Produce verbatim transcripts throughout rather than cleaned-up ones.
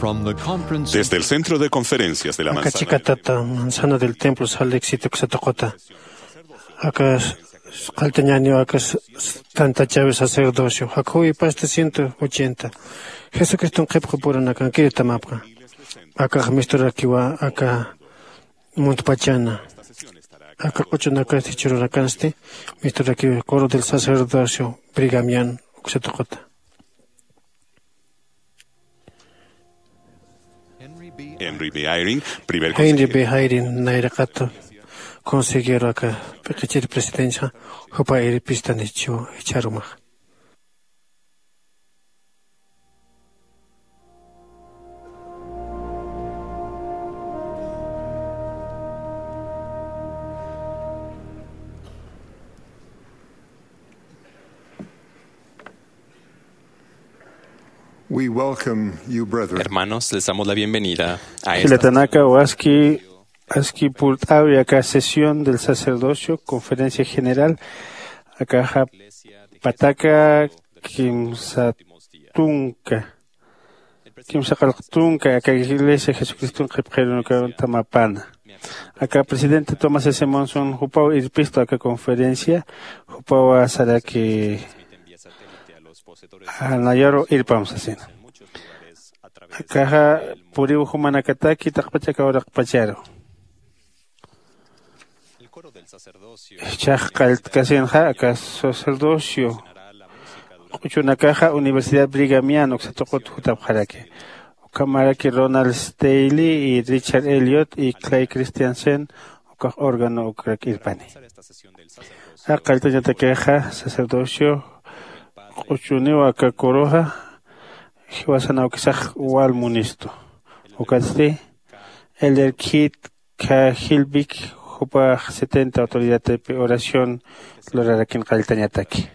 Desde el centro de conferencias de la manzana, chikatata manzana del templo sal éxito uksa tuquta. Aka qalltañäniw aka tantachawi sacerdocio jakhuwi pasta ciento ochenta. Jesucriston qhipqu puranakankiri tamapxa. Akax misturakiwa aka muntpachana. Aka q'uchunakasti chururakansti misturakiwa coro del sacerdocio brigamian uksa tuquta. Henry B. Eyring, primer Henry B. Eyring nayraqata consejero aka p'iqichir presidencia jupa irpistanichiw jichharumax. We welcome you, brethren. Hermanos, les damos la bienvenida a esta Jilatanaka waski aski purt'awi aka sesión del sacerdocio, conferencia general, akaxa pataka kimsa tunka, kimsa qallq tunka aka iglesia Jesucriston qhipqirunakaw tamapana. Aka presidente Thomas S. Monson jupaw irpistu aka conferencia, jupaw saraki nayaru irpam sasina. Akaxa puriw jumanakataki taqpach aka uraqpacharu. Jichhax qalltkasinxa aka sacerdocio q'uchunakaxa Universidad Brigamian uksa tuqut jutapxaraki. Ukhamaraki Ronald Staley y Richard Elliot y Clay Christensen ukax órgano ukrak irpani. Aka qalltañatakixa sacerdocio q'uchuniw aka coroxa jiwasan awkisax wal munistu. Ukatsti Elder Keith K. Hilbick jupax setenta autoridadpi oración lurarakin qalltañataki.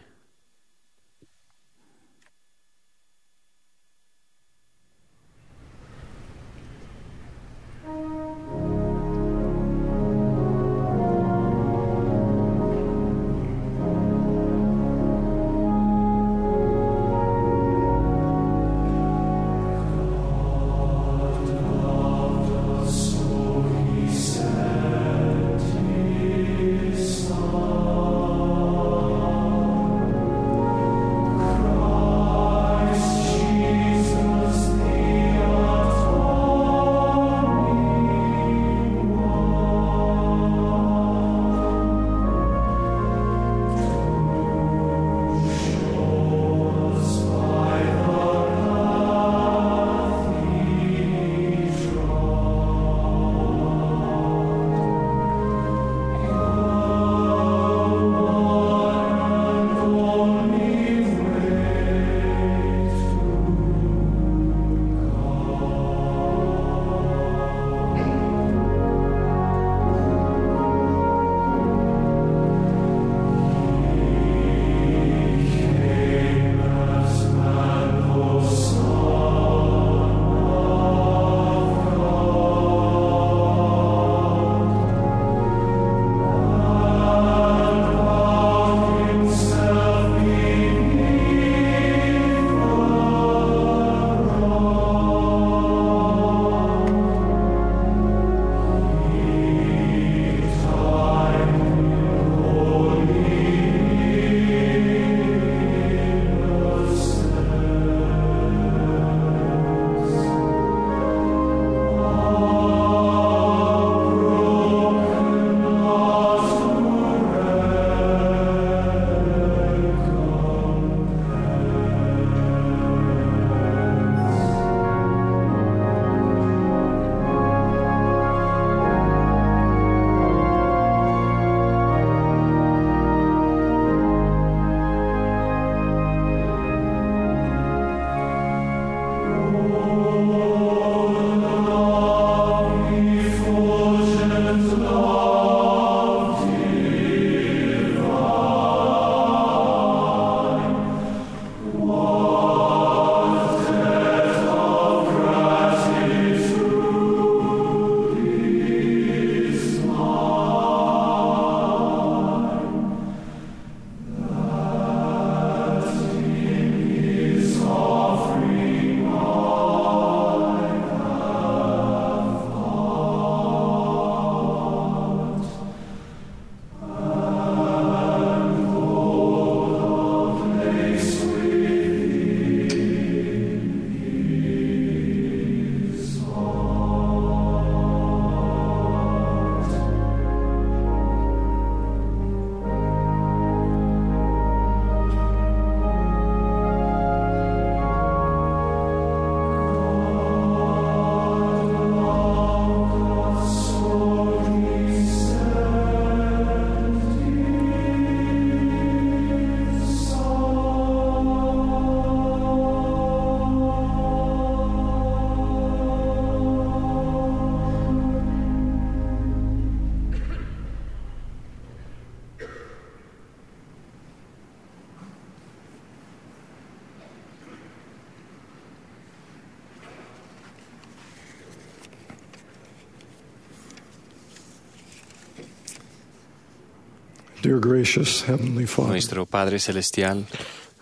Dear gracious Heavenly Father, nuestro Padre Celestial,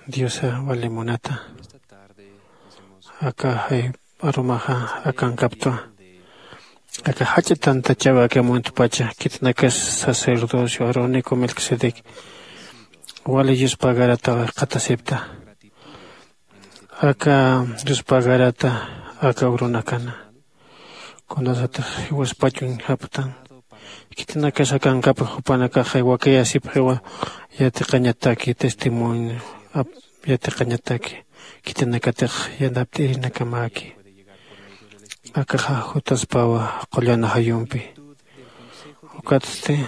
Diosa wali munata, aka jay arumaxa akankaptwa. Aka jach'a tantachaw aka muntpacha, khitinakas sacerdocio Aaronico Melquisedec wali yuspagarata qhatasipta. Aka yuspagarata aka urunakana. Kunasatix jiwaspachun japtan. Khitinakas akankapxa jupanakaxa wakayasipxiwa yatiqañataki testimonio ap-, yatiqañataki. Khitinakatix yanapt'irinakamäki. Akaxa jutaspawa qullana jayumpi. Ukatsti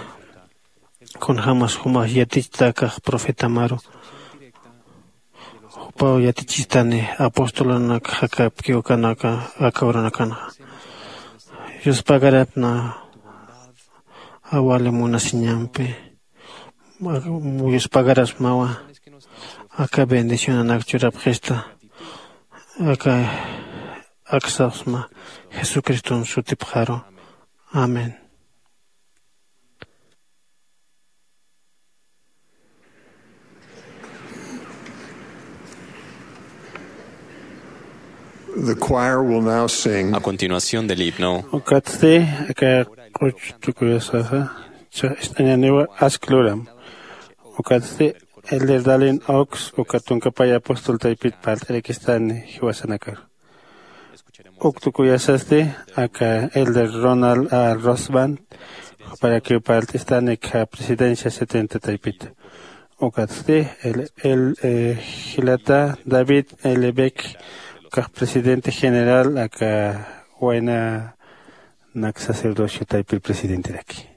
kunjämas jumax yatichtakax profetamaru, jupaw yatichistani apostolunak jakapki ukanaka aka urunakanxa. Yuspagarapna awali munasiñampi. Yuspagarasmawa aka bendicionanak churapxista. Aka aksapxsma Jesucriston sutipxaru. Amén. The choir will now sing. A continuación del himno. Ukatsti aka q'uch tukuyasaxa, cha ist'añaniwa ask luram. Ukatsti Elder Dallin Oaks, uka tunkapay apóstol taypit parlt'arakistani jiwasanakar. Uk tukuyasasti aka Elder Ronald A. Rosband, juparakiw parlt'istani aka presidencia setenta taypita. Ukatsti el, el, eh, jilata David L. Beck, ukax presidente general aka waynanak sacerdocio taypir presidenteraki.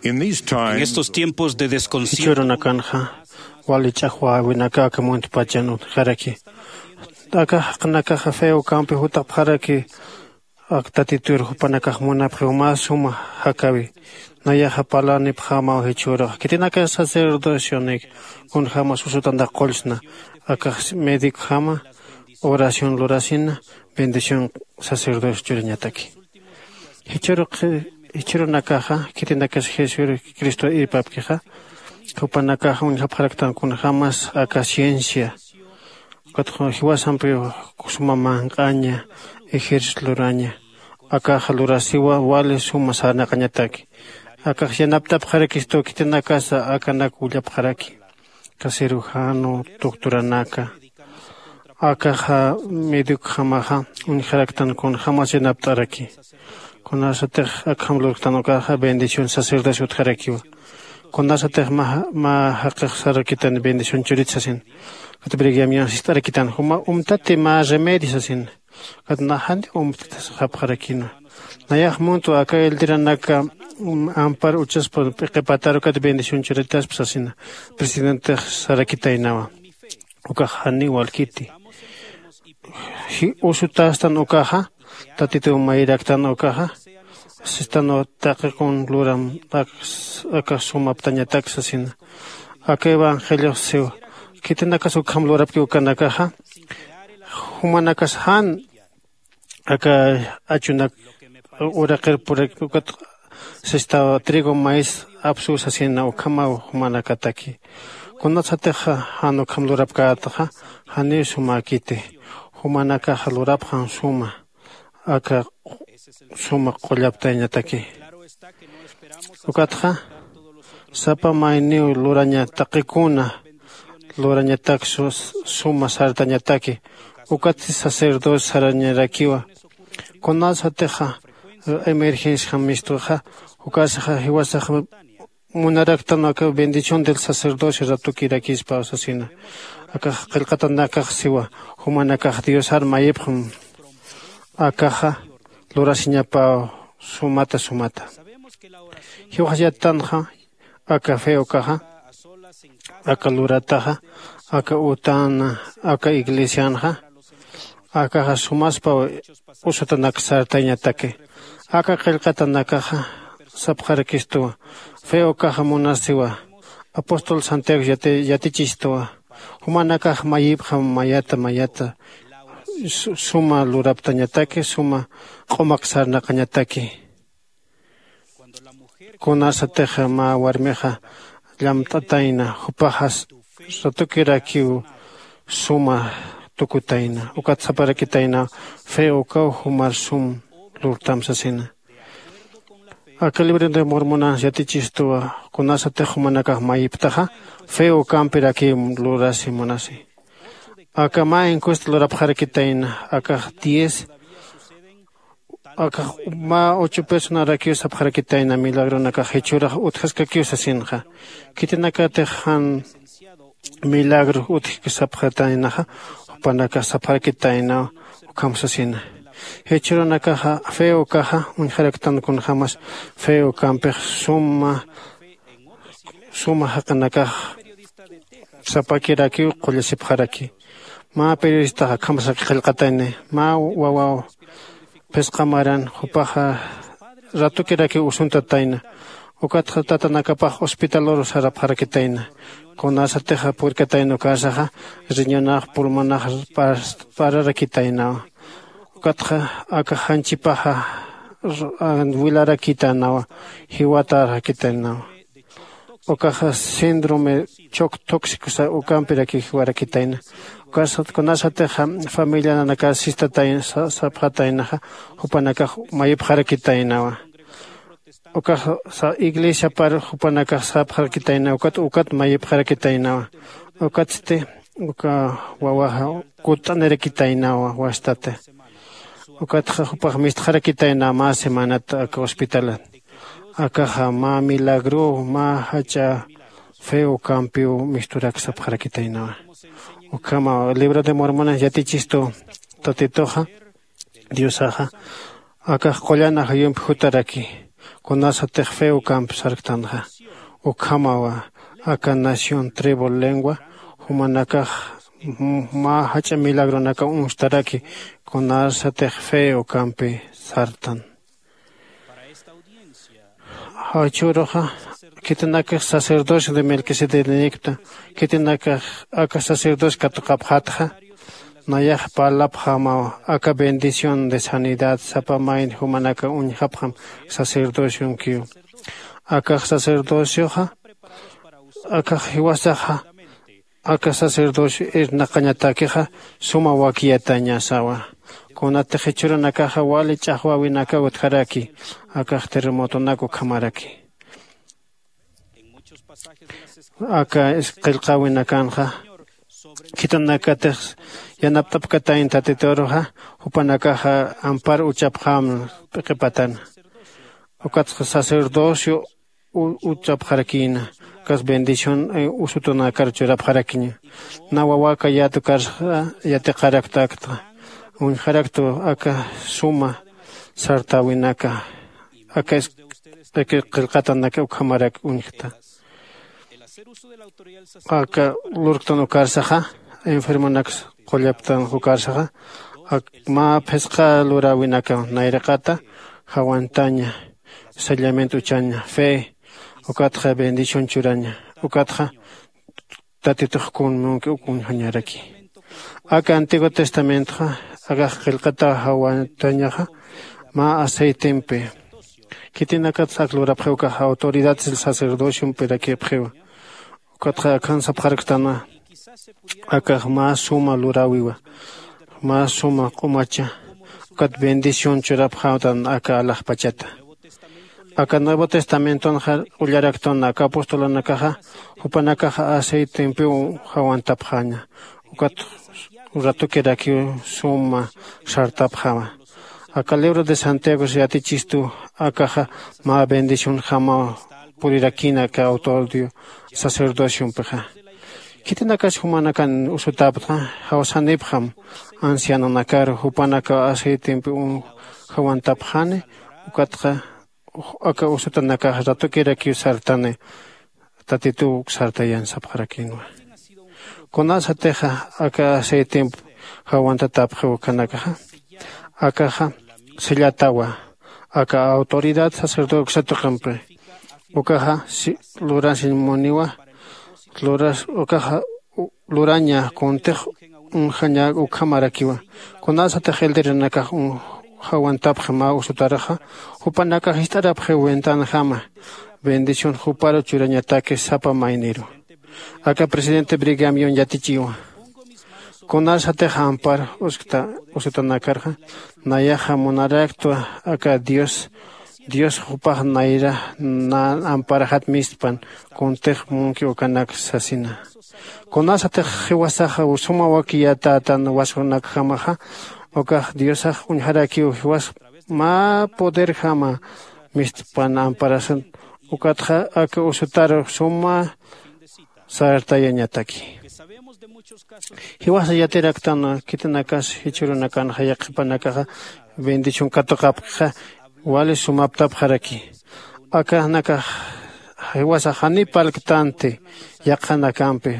En estos tiempos de desconcierto, jichhürunakanxa wali ch'axwäwinaka aka muntpachan utjaraki. Aka jaqinakaxa fe ukampi jutapxaraki. Ak tatitur jupanakax munapxiw mä suma jakäwi. Nayaxa parlanipxämaw jichhüruxa khitinaka sacerdocionik kunjämas usutantax qullsna. Akax médicojama oración lurasina bendición sacerdocio churañataki. Jichhürunakaxa khitinakas jesucristo irpapkixa jupanakax uñjapxaraktan kunjämas aka ciencia. Ukatxa jiwasampiw suma manq'aña ejército luraña. Akaxa lurasiwa wali suma sarnaqañataki. Akax yanaptapxarakistu khitinakasa akanak willapxaraki. Aka cirujano doctoranaka akaxa medicojamaxa uñjaraktan kunjämas yanapt'araki. Kunasatix akham lurktan ukaxa bendición sacerdocio utjarakiwa. Kunasatix mä jaqix sarakitan bendición churit sasin. Ukat brigiam yan sist'arakitan juma umtati mä remedio sasin. Ukat naxani umtati sapxarakina. Nayax muntwa aka eldiranaka ampar uchaspa p'iqipatar ukat bendición churitaspa sasina. Presidentex sarakitaynawa. Ukax janiw walkiti. Usutastan ukaxa tatituw mayiraktan ukaxa sistanwa taqikun luram. Akax sumaptañatak sasina. Aka evangeliox siw khitinakas ukham lurapki ukanakaxa jumanakas jan aka achunak uraqir purak ukat sistaw trigo maíz apsuw sasina ukhamaw jumanakataki. Kunasatixa jan ukham lurapkätaxa janiw sumäkiti. Jumanakaxa lurapxan suma aka suma qullaptayañataki. Ukatxa sapa mayniw luraña taqikuna lurañatak suma sartañataki. Ukatsti sacerdocio sarañarakiwa. Kunasatixa emergenciajam mistuxa ukasaxa jiwasaxa munaraktan aka bendición del sacerdocio ratukirakispa sasina. Akax qillqatanakax siwa jumanakax diosar mayipxam. Akaxa lurasiñapaw sumata sumata. Jiwaxayatanxa aka fe ukaxa aka lurataxa aka utana aka iglesianxa akaxa sumaspaw usutanak sartayañataki. Aka qillqatanakaxa sapxarakistuwa fe ukaxa munasiwa. Apóstol santiago yatichistuwa jumanakax mayipxam mayata mayata suma luraptañataki suma q'umak sarnaqañataki. Kunasatixa mä warmixa llamt'atayna jupaxas ratukirakiw suma tukutayna ukat saparakitayna fe ukaw jumar sum lurtam sasina. Aka libro de mormonan yatichistuwa kunasatix jumanakax mayiptaxa fe ukampirakiw lurasi munasi. Aka mä encuesta lurapxarakitayna akax diez akax mä ocho personarakiw sapxarakitayna milagronakax jichhürax utjaskakiw sasinxa. Khitinakatix jan milagro utjki sapxataynaxa jupanakax sapxarakitaynaw ukham sasina. Jichhürunakaxa fe ukaxa uñjaraktan kunjämas fe ukampix suma suma jaqinakax sapakirakiw qullasipxaraki. Mä periodistax akhamsaki qillqatayni mä wawaw phisqa maran jupaxa ratukirakiw usuntatayna. Ukatxa tatanakapax hospitalur sarapxarakitayna. Kunasatixa purkatayna ukasaxa riñonax pulmonax pararakitaynawa. Ukatxa aka janchipaxa wilarakitaynawa. Jiwatarakitaynawa. Ukaxa síndrome choc tóxico ukampirakiw jiwarakitayna. Ukasat kunasatixa familia nanakax sistatayna sapxataynaxa jupanakax mayipxarakitaynawa. Ukaxa iglesiapar jupanakax sapxarakitaynawa ukat ukat mayipxarakitaynawa. Ukatsti uka wawaxa kutt'anirakitaynawa wastati. Ukatxa jupax mistxarakitaynawa mä semanat aka hospitalat. Akaxa mä milagruw mä jach'a fe ukampiw misturak sapxarakitaynawa. Ukhamaw libro de mormonan yatichistu tatituxa diosaxa akax qullan ajayumpi jutaraki. Kunasatix fe ukamp sarktanxa, ukhamawa aka nación tribu lengua jumanakax mä jach'a milagronaka uñstaraki. Kunasatix fe ukampi sartan. Jawchüruxa khitinakax sacerdocio de melquisedecnïkta, khitinakax aka sacerdocio katuqapxatxa, nayax parlapxamaw aka bendición de sanidad sapa mayni jumanaka uñjapxam sacerdocionkiw. Akax sacerdocioxa akax jiwasaxa aka sacerdocio irnaqañatakixa suma wakiyatañasawa. Kunatix jichhürunakaxa wali ch'axwäwinakaw utjaraki akax terremotonak ukhamaraki. Aka qillqäwinakanxa khitinakatix yanapt'apkatayn tatituruxa jupanakaxa ampar uchapxäm p'iqipatana. Ukatxa sacerdocio uchapxarakïna. Ukas bendición usutunakar churapxarakiña. Na wawaka yatukarxa yatiqaraktakta uñjaraktu aka suma sartäwinaka aka qillqatanaka ukhamarak uñjta. Aka lurktan ukarsaxa enfermonaks qullaptan ukarsaxa mä phisqa luräwinaka nayraqata jawantaña sellamiento uchaña fe ukatxa bendición churaña. Ukatxa tatitux kun munki uk uñjañaraki. Aka antiguo testamentoxa akax qillqataw jawantañaxa mä aceitempi. Khitinakatsa ak lurapxiw ukax autoridad sacerdociompirakiwapxiwa. Ukatxa akhan sapxarktanwa akax mä suma luräwiwa, mä suma q'umacha ukat bendición churapxäwtan aka alaxpachata. Aka nuevo testamentonxa ullaraktan aka apostolanakaxa jupanakaxa aceitempiw jawantapxäña. Ukat ratukirakiw suma sartapxäma. Aka libro de santiago yatichistu akaxa mä bendicionjamaw purirakïna aka autorio sacerdociompixa. Khitinakas jumanakan usutaptxa jawsanipxam ancianonakaru jupanakaw aceitempi jawantapxani. Ukatxa aka usutanakax ratukirakiw sartani tatituw sartayan sapxarakïnwa. Kunasatixa aka aceitemp jawantatapxiw ukanakaxa akaxa sellatawa aka autoridad sacerdote uksatuqimpi. Ukaxa lurasiñ muniwa luras ukaxa luraña kuntix uñjaña ukhamarakiwa. Kunasatix elderenakax jawantapxi mä usutaraxa jupanakax jist'arapxiw ventanajama bendición juparu churañataki sapa mayniru. Aka presidente brigamion yatichiwa kunasatix ampar uskta usutanakarxa nayaxa munaraktwa aka dios dios jupax nayra na amparaxat mistpan kuntix munki ukanak sasina. Kunasatix jiwasaxa suma wakiyatätan waskunakjamaxa ukax diosax uñjarakiw jiwas mä poderjama mistpan amparasun. Ukatxa aka usutar suma sartayañataki. Jiwasa yatiraktan khitinakas jichhürunakanxa yaqhipanakaxa bendición katuqapkixa wali sumaptapxaraki. Akanakax jiwasa janiw parlktanti yaqhanakampi.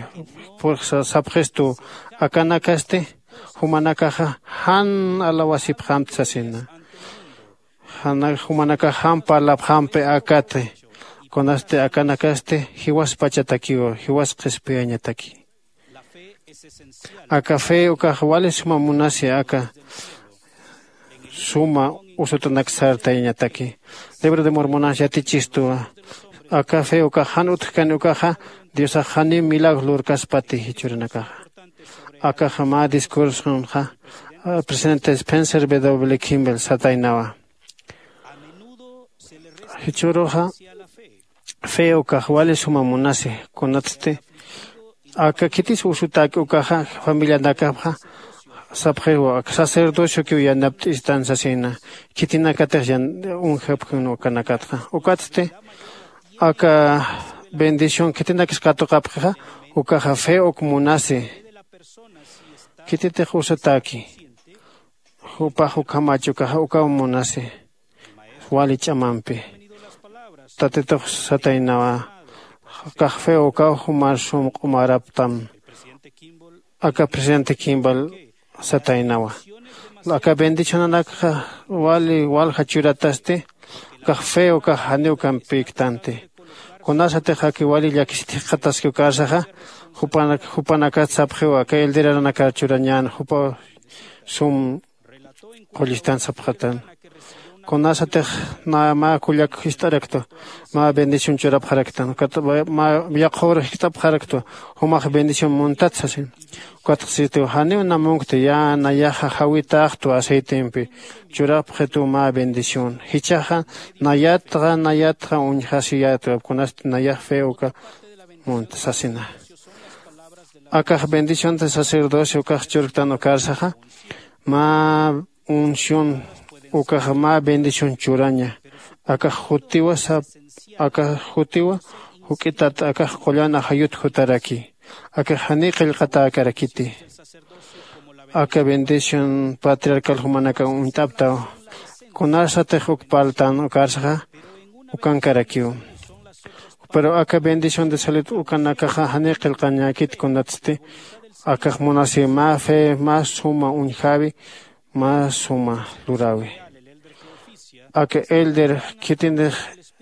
Purqsa sapxistu akanakasti jumanakaxa jan alawasipxamti sasina. Jumanakax jan parlapxampi akati kunasti akanakasti jiwaspachatakiw jiwas qhispiyañataki. Aka fe ukax wali suma munasi aka suma usutanak sartayañataki. Libro de mormonas yatichistuwa aka fe ukax jan utjkani ukaxa diosax janiw milagro lurkaspati jichhürunakaxa. Akaxa mä discursonxa presidente spencer w kimbel sataynawa. Jichhüruxa fe ukax wali suma munasi kunatsti aka khitis usutäki ukaxa familianakapxa sapxiw aka sacerdociokiw yanapt'istan sasina. Khitinakatix yan uñjapkïn ukanakatxa ukatsti aka bendición khitinakis katuqapkixa ukaxa fe uk munasi. Khititix usatäki jupax ukhamach ukaxa ukaw munasi wali ch'amampi. tatitux sataynawa. Kax feo ukaw jumar sum q'umaraptam. Aka presidente kimbal sataynawa. Aka bendicionanakxa wali walja churatasti. Kax feo kax janiw kampiktanti. Kunasatix aki wali llakisiti jikxataski ukarsaxa, jupanakat sapxiwa aka elderaranakat churañän jupa sum qullistan sapxatan. Kunasatix mä kullak jist'araktwa, mä bendición churapxaraktan ukat mä yaqhur jist'apxaraktwa, jumax bendición muntat sasin. Ukatxsitiw janiw namunkti ya nayaxa jawitaxtwa aceitempi churapxitw mä bendición. Jichhaxa nayatxa nayatxa uñjasiyätwa kunasti nayax fe uka munta sasina. Akax bendición de sacerdocio ukax churktan ukarsaxa, mä unción ukaxa mä bendición churaña. Akax jutiwa sap akax jutiwa juk'itat akax qullan ajayut jutaraki. Akax janiy qillqatäkarakiti. Aka bendición patriarcal jumanakaw uñt'aptaw. Kunasatix uk parltan ukarsaxa ukankarakiw. Pero aka bendición de salud ukanakaxa janiy qillqañäkit kunatsti. Akax munasiw mä fe mä suma uñjäwi, mä suma luräwi. Aka elder khitinix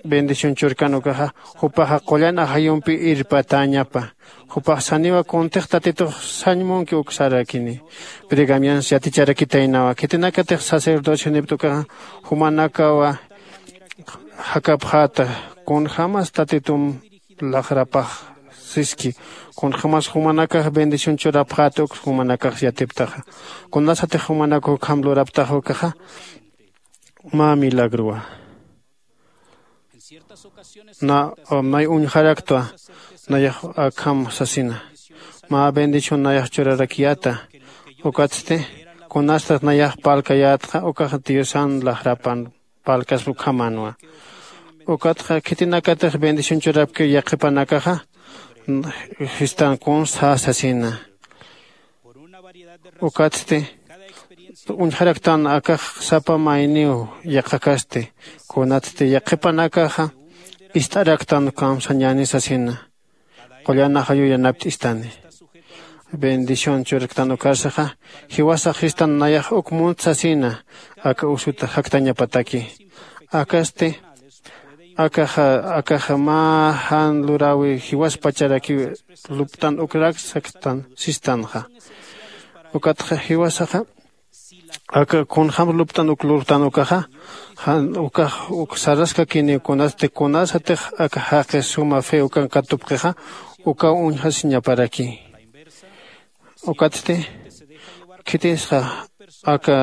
bendición churkan ukaxa, jupaxa qullan ajayumpi irpatäñapa. Jupax saniwa kuntix tatitux sañ munki uk sarakini. Brigamians yaticharakitaynawa khitinakatix sacerdocionipta ukaxa, jumanakawa jakapxäta kunjämas tatitum laxrapax siski, kunjämas jumanakax bendición churapxäta uk jumanakax yatiptaxa. Kunasatix jumanak ukham luraptaxa ukaxa, mä milagrowa. Na, nay uñjaraktwa nayax akham sasina, mä bendición nayax churarakiyäta. Ukatsti kunastat nayax parlkayätxa ukax diosan laxrapan parlkaspa ukhamänwa. Ukatxa khitinakatix bendición churapkiw yaqhipanakaxa, sistan kuns sasina. Ukatsti uñjaraktan akax sapa mayniw yaqhakasti. Kunatsti yaqhipanakaxa ist'araktan kamsañäni sasina, qullan ajayu yanapt'istani. Bendición churktan ukarsaxa, jiwasax sistan nayax uk munt sasina aka usut jaktañapataki. Akasti akaxa akaxa mä jan luräwi jiwaspacharakiw luptan ukrak saktan sistanxa. Ukatxa jiwasaxa aka kunjäm luptan uk lurtan ukaxa, jan ukax uk saraskakiniw kunatsti kunasatix aka jaqi suma fe ukan katupxixa, ukaw uñjasiñaparaki. Ukatsti khitisxa aka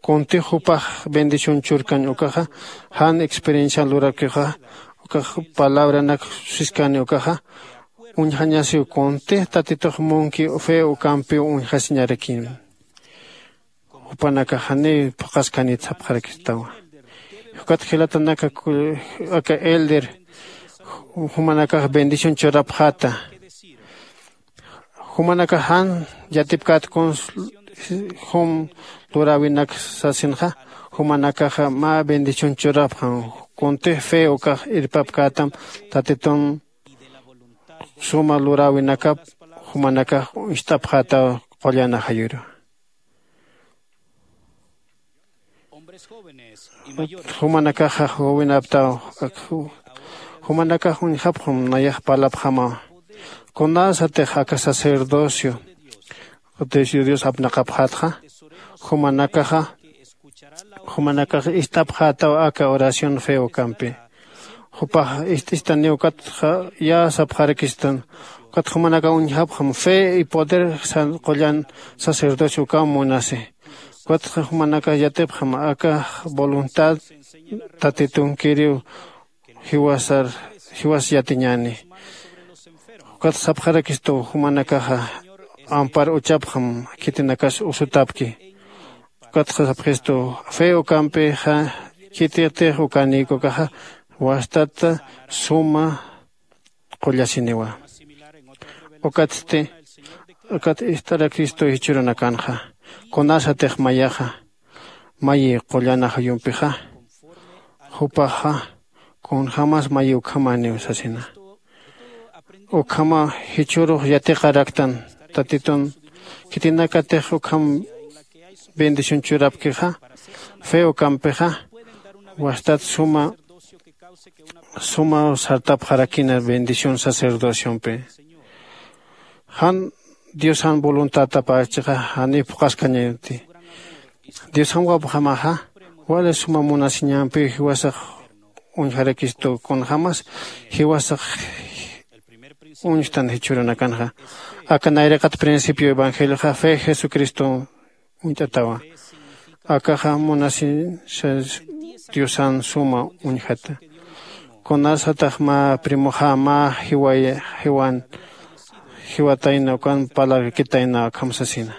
kuntix jupax bendición churkañ ukaxa, jan experiencian lurakixa, ukax palabranak siskani ukaxa, uñjañasiw kuntix tatitux munki fe ukampiw uñjasiñarakin. Jupanakax janiw phuqhaskanit sapxarakistawa. Ukat jilatanaka aka elder jumanakax bendición churapxäta. Jumanakax jan yatipkät kuns jum luräwinak sasinxa, jumanakaxa mä bendición churapxam. Kuntix fe ukax irpapkätam tatitun suma luräwinakap jumanakax uñst'apxätaw qullan ajayuru. Jumanakaxa jowinaptaw, jumanakax uñjapxam nayax parlapxamaw. Kunasatix aka sacerdocio dios apnaqapxätxa, jumanakaxa jumanakax ist'apxätaw aka oración fe ukampi. Jupax ist'istaniw ukatxa ya sapxarakistan, ukat jumanakax uñjapxam fe y poder qullan sacerdocio ukaw munasi. Ukatxa jumanakax yatipxam aka voluntad tatitunkiriw jiwasar jiwas yatiñäni. Ukat sapxarakistu jumanakaxa ampar uchapxam khitinakas usutapki. Ukatxa sapxistu fe ukampixa khititix ukanïkukaxa wastata suma qullasiniwa. Ukatsti ukat ist'arakistu jichhürunakanxa, kunasatix mayaxa mayi qullan ajayumpixa, jupaxa kunjämas mayi ukhamäniw sasina. Ukhama jichhürux yatiqaraktan tatitun khitinakatix ukham bendición churapkixa, fe ukampixa wastat suma suma sartapxarakina bendición sacerdociompi. Jan diosan voluntadtapachixa janiw phuqhaskañanti. Diosanwapxamaxa wali suma munasiñampiw jiwasax uñjarakistu kunjämas jiwasax uñjtan jichhürunakanxa. Aka nayraqat principio evangelioxa fe jesucristo uñt'atawa. Akaxa munasi diosan suma uñjata. Kunasatax mä primoxa mä jiway jiwan jiwatayna ukan palabrkitayna akham sasina.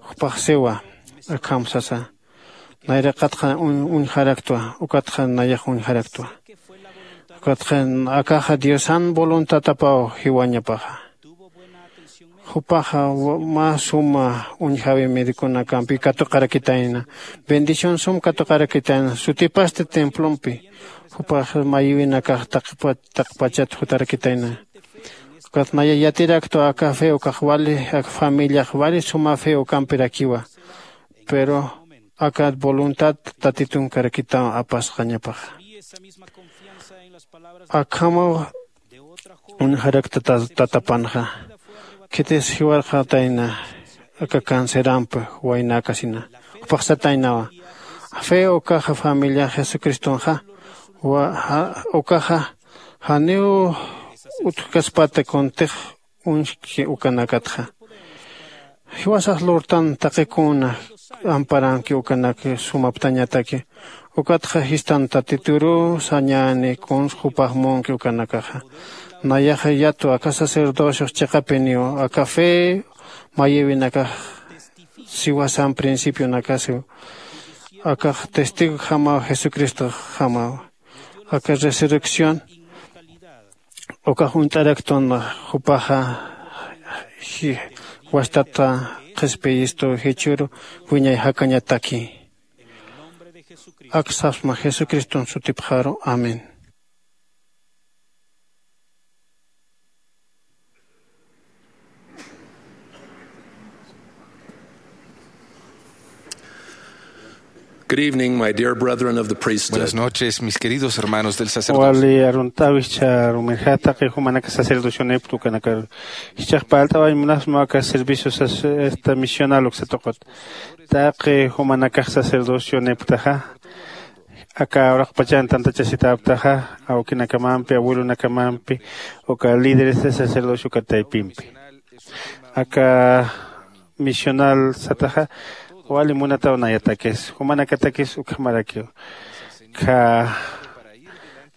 Jupax siwa akham sasa. Nayraqatxa uñjaraktwa ukatxa nayax uñjaraktwa. Ukatxa akaxa diosan voluntatapaw jiwañapaxa. Jupaxa mä suma uñjäwi mediconakampi katuqarakitayna. Bendición sum katuqarakitayna sutipasti templompi. Jupax mayiwinakax taqpachat jutarakitayna. Ukat naya yatiraktwa aka fe ukax wali aka familiax wali suma fe ukampirakiwa. Pero aka voluntad tatitun karakitaw apasqañapaxa. Akhamaw uñjarakta tatapanxa. Khitis jiwarxatayna aka cancerampi waynäkasina. Jupaxsataynawa fe ukaxa familia jesucristonxa ukaxa janiw utjkaspata kuntix uñjki ukanakatxa. Jiwasax lurtan taqikuna amparanki ukanak sumaptañataki. Ukatxa jistan tatituru sañäni kuns jupax munki ukanakaxa. Nayaxa yatu aka sacerdocio chiqapiniw aka fe mayïwinakax siwasan principionakasiw. Akax testigojamaw jesucristoxamaw. Aka resurrección ukax uñt'araktun jupaxa wastata qhispiyistu jichhüru wiñay jakañataki. Aksasma jesucriston sutipxaru. Amén. Good evening, my dear brethren of the priesthood. Buenas noches, mis queridos hermanos del sacerdocio. Wali arunt'awichha rumirjataqi jumanaka sacerdocionepta ukanakar jichhax palt'awañ munasma aka servicio sac- esta misional uksatuqut. Taqi jumanakax sacerdocioneptaxa aka uraqpachan tantachasitäptaxa awkinakamampi abuelonakamampi uka líderes de sacerdocio uka taypimpi. Aka misional sataxa wali munataw nayatakis jumanakatakis ukhamarakiw. Kha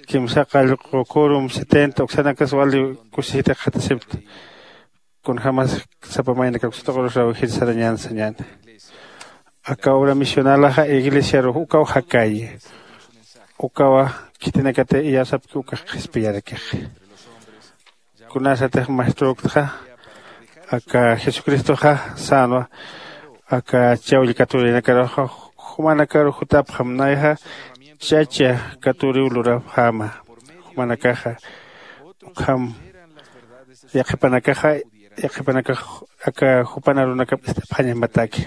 kimsa qallqu kurum setenta uksanakas wali kusisita qhatasipta. Kunjämas sapa maynakaruksataqurus rawjir sarañan sañäni. Aka obra misionalaxa iglesiarux ukaw jakayi. Ukawa khitinakatix iyawsapki ukax qhispiyarakix. Kunasatix maeströktxa aka jesucristoxa sänwa aka chawll katurinakaruxa jumanakaru jutapxam nayaxa chacha katuriw lurapxäma. Jumanakaxa ukham yaqhipanakaxa yaqhipanakax aka jupan arunakap ist'apxañamataki.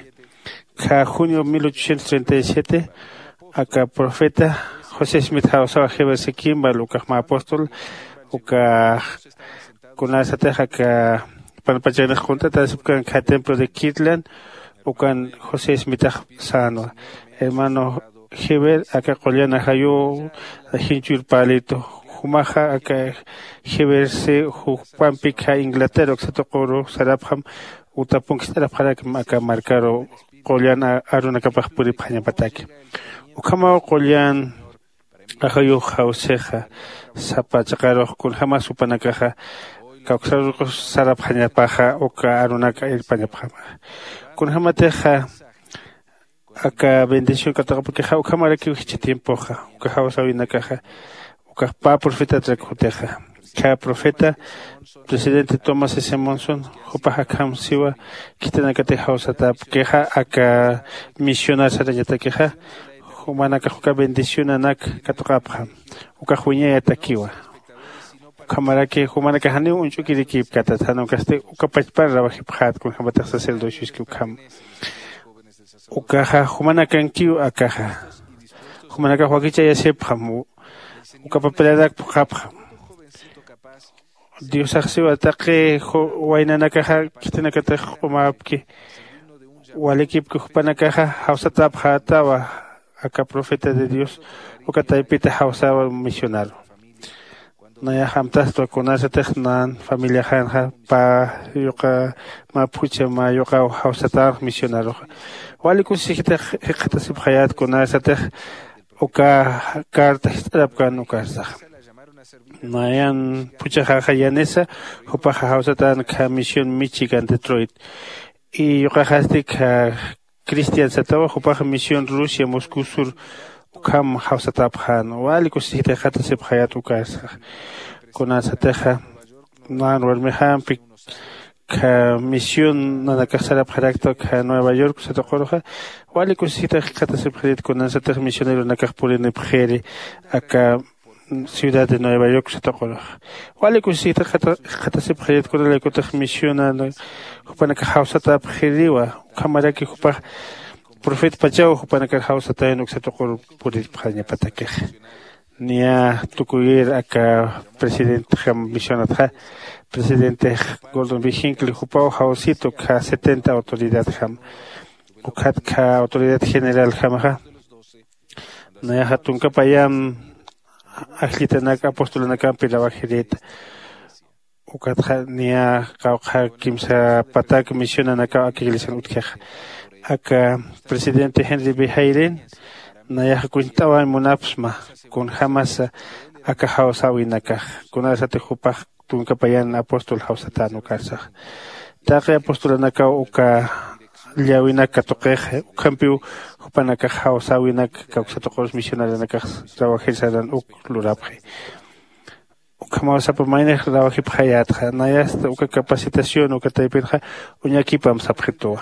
Kha junio mil ochocientos treinta y siete aka profeta josé smith jawsawa jeverse kimbal ukaxma apóstol uka kunasatix aka panpachanix qunt'atasipkan kha templo de kirtland ukan josé smithax sänwa. Hermano jever aka qullan ajayuw jinchhür palitu jumaxa aka jeverse jupampi kha inglaterra uksatuquru sarapxam utapunki ist'arapxarakma aka markaru qullan arunakapax puripxañapataki. Ukhamaw qullan ajayux jawsixa sapa chiqarux kunjämas jupanakaxa kawksaruqus sarapxañapaxa uka arunaka irpañapxama. Kunjämatixa aka bendición katuqapakixa ukhamarakiw jichha tiempoxa uka jawsäwinakaxa ukax pä profetatrak jutixa. Kha profeta presidente tomás s monson jupax akham siwa khitinakatix jawsatäpkixa aka misionar sarañatakixa Jumanakax uka bendicionanak katuqapxam. Ukax wiñayatakiwa. Ukhamaraki jumanakax janiw uñch'ukirikipkatat jan ukasti uka pachpar rawajipxät kunjämatix sacerdocioski ukham. Ukaxa jumanakankiw akaxa. Jumanakax wakichayasipxam. Uka papelanak phuqhapxam. Diosax siwa taqi waynanakaxa khitinakatix q'umäpki. Walikipki jupanakaxa jawsatäpxätawa. Aka profeta de dios uka taypita jawsäwa misionaru. Nayax amtastwa kunasatix nan familiaxanxa pä yuqa mä phuchha mä yuqaw jawsatäx misionaruxa. Wali kusisixitix jikxatasipxayät kunasatix uka carta jist'arapkän ukarsaxa. Nayan phuchhaxaxa yanisa jupaxa jawsatän kha misión michigan detroit. Y yuqaxasti kha cristian satawa jupaxa misión rusia moscú sur ukham jawsatäpxän. Wali kusisixitix jikxatasipxayät ukarsaxa. Kunasatixa nan warmixampi kha misión nanakax sarapxarakta kha nueva york satuquruxa. Wali kusisita jikxatasipxirit kunansatix misioneronakax purinipxiri aka ciudad de nueva york satuquruxa. Wali kusisita jikxatasipxirit kunalaykutix misiona jupanakax jawsatäpxiriwa. Ukhamaraki jupax profetpachaw jupanakar jawsatayun uksatuqur puriripxañapatakixa. Niya tukuyir aka presidentjam misionatxa presidente gordon viginkli jupaw jawsitu kha setenta autoridadjam. Ukhat kha autoridad generaljamaxa nayaxa tunka payam ajllitanak apostolanakampi rawajirïta. Ukatxa niya qawqha kimsa patak misionanakaw aka iglesian utjixa. Aka presidente henry bihayrin nayaxa kuñt'awañ munapsma kunjämasa aka jawsäwinakax kunasatix jupax tunka payan apóstol jawsatän ukarsax. Taqi apostolanakaw uka llawinak katuqix ukhampiw jupanakax jawsäwinak kawksatuqurus misionaranakax rawajir saran uk lurapxi. Ukhamaw sapa maynix rawajipxayätxa nayasta uka capacitación uka taypinxa uñakipam sapxituwa.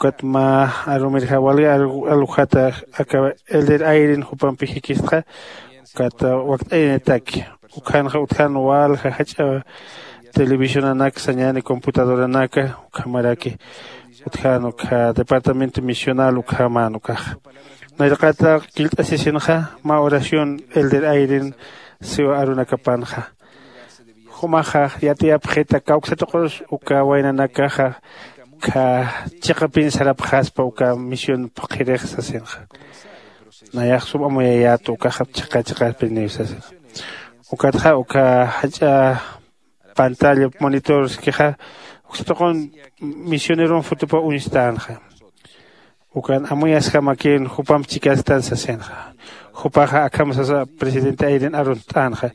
Ukat mä arumirja wali alujata aka elder airin jupampi jikistxa ukat wakt'ayanitaki. Ukhanxa utjan walja jach'a televisionanak sañani computadoranaka ukhamaraki utjan ukha departamento misional ukhaman ukaxa. Nayraqata killt'asisinxa mä oración elder airin siwa arunakapanxa. Jumaxa yatiyapxita kawksatuqurus uka waynanakaxa kha chiqapin sarapxaspa uka misión phuqhirix sasinxa. Nayax sum amuyayätu ukaxa chiqa chiqapiniw sasinxa. Ukatxa uka jach'a pantalla monitorskixa uksatuqun misioneron fotopa uñstänxa. Ukan amuyasjamakïn jupamp chikastan sasinxa. Jupaxa akham sasa presidente airin arunt'änxa.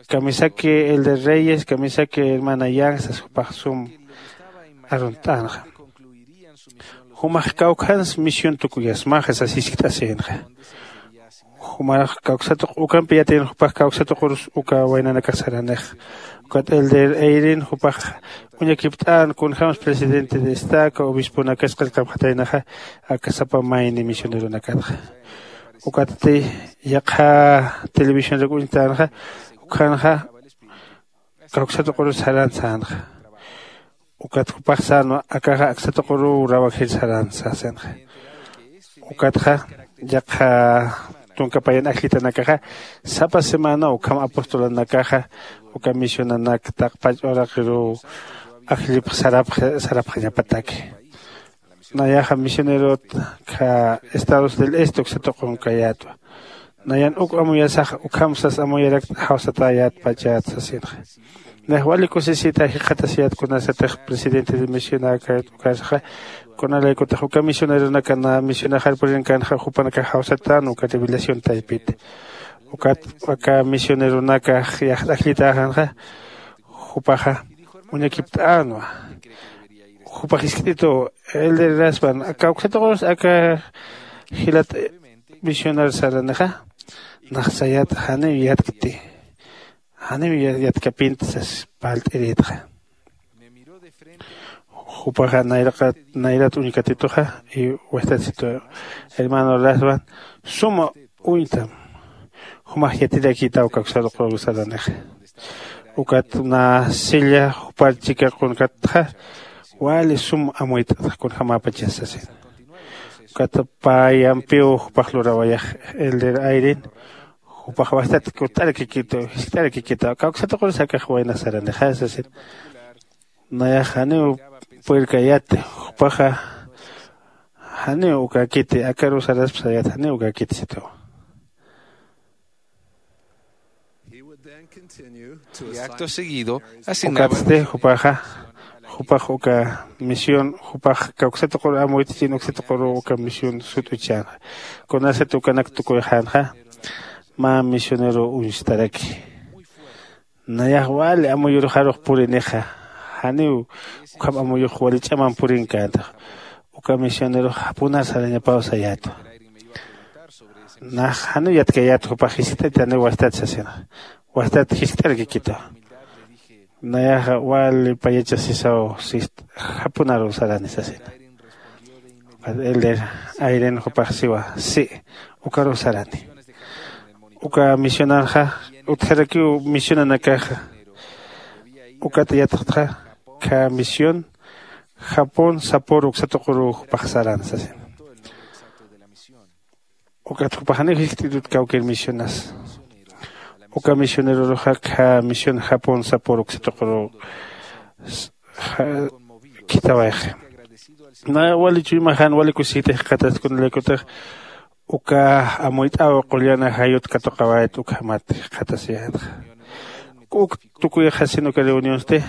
Kamisaki elder reyes kamisaki hermana yang sas jupax sum arunt'änxa. Jumax kawkhans misión tukuyasmaxa sas jiskt'asïnxa. Jumarax kawksatuq ukampi yatïn jupax kawksatuqurus uka waynanakax saranix. Ukat elder eirin jupax uñakipt'än kunjämas presidente de estaca obisponakas qillqapxataynaxa aka sapa mayni misioneronakatxa. Ukatati yaqha televisionrak uñtänxa ukhanxa kawksatuqurus saran sänxa. Ukat jupax sänwa akaxa aksatuquruw rawajir saran sasinxa. Ukatxa yaqha tunka payan ajllitanakaxa sapa semana ukham apostolanakaxa uka misionanak taqpach uraqiruw ajllipx sarapxañapataki. Nayaxa misionerot kha estados del este uksatuqunkayattwa. Nayan uk amuyasax ukham sas amuyarakt jawsatäyat pachat sasinxa. Nayax wali kusisita jikxatasiyat kunasatix presidente de misionakayat ukasaxa kunalaykutix uka misioneronaka na misionaxar purinkanxa jupanakax jawsatän uka revelación taypita. Ukat aka misioneronakax yax ajllitäxanxa jupaxa uñakipt'änwa. Jupax jiskt'itu elder raspan aka uksatuqurus aka jilat misionar saranixa naxsayat janiw yatkti janiw yatkapinti sas parlt'irïtxa. Jupaxa nayraqa nayrat uñkatituxa. Y wajtatsitu hermano raswan suma uñtam. Jumax yatirakïtaw kawksatuquru saranixa. Ukat na silla jupar chika qunkatxa wali sum amuyt'atxa kunjämäpachas sasin. Ukat payampiw jupax lurawayax elder ayrin jupax wajtat kut'arakikita jist'arakikita kawksatuqurus akax wayna saranixa sasin. Nayax janiw puyrkayati jupaxa janiw ukakiti akaru saraspa sayat janiw ukakiti sitawa. Y acto seguido Ukatsti jupaxa jupax uka misión jupax kawksatuquru amuyt'chin uksatuquru uka misión sut'uchänxa. Kunasat ukanak tukuyxänxa mä misionero uñstaraki. Nayax wali amuyuruxarux purinixa. Janiw ukham amuyux wali ch'amam purinkäntax. Uka misionerux japunar sarañapaw sayätwa. Nax janiw yatkayät jupax jiskt'at janiw wastat sasina. Wastat jiskt'arakikitwa. Nayaxa wali payachasisaw sist japunaruw sarani sasina. Elder ayrin jupax siwa si ukaruw sarani. Uka misionanxa utjarakiw misionanakaxa. Ukat yatxtxa kha misión japón sapor uksatuquru jupax saran sasin. Ukat jupaxaniw jiskt'itut kawkir misionas. Uka misioneroruxa kha misión japón sapor uksatuquru khitawayxi. Na wali chuymaxan wali kusitix qhataskunalaykutix uka amuyt'aw qullana jayut katuqawayat ukhamat qhatasiyätxa. Uk tukuyxasin uka reunionsti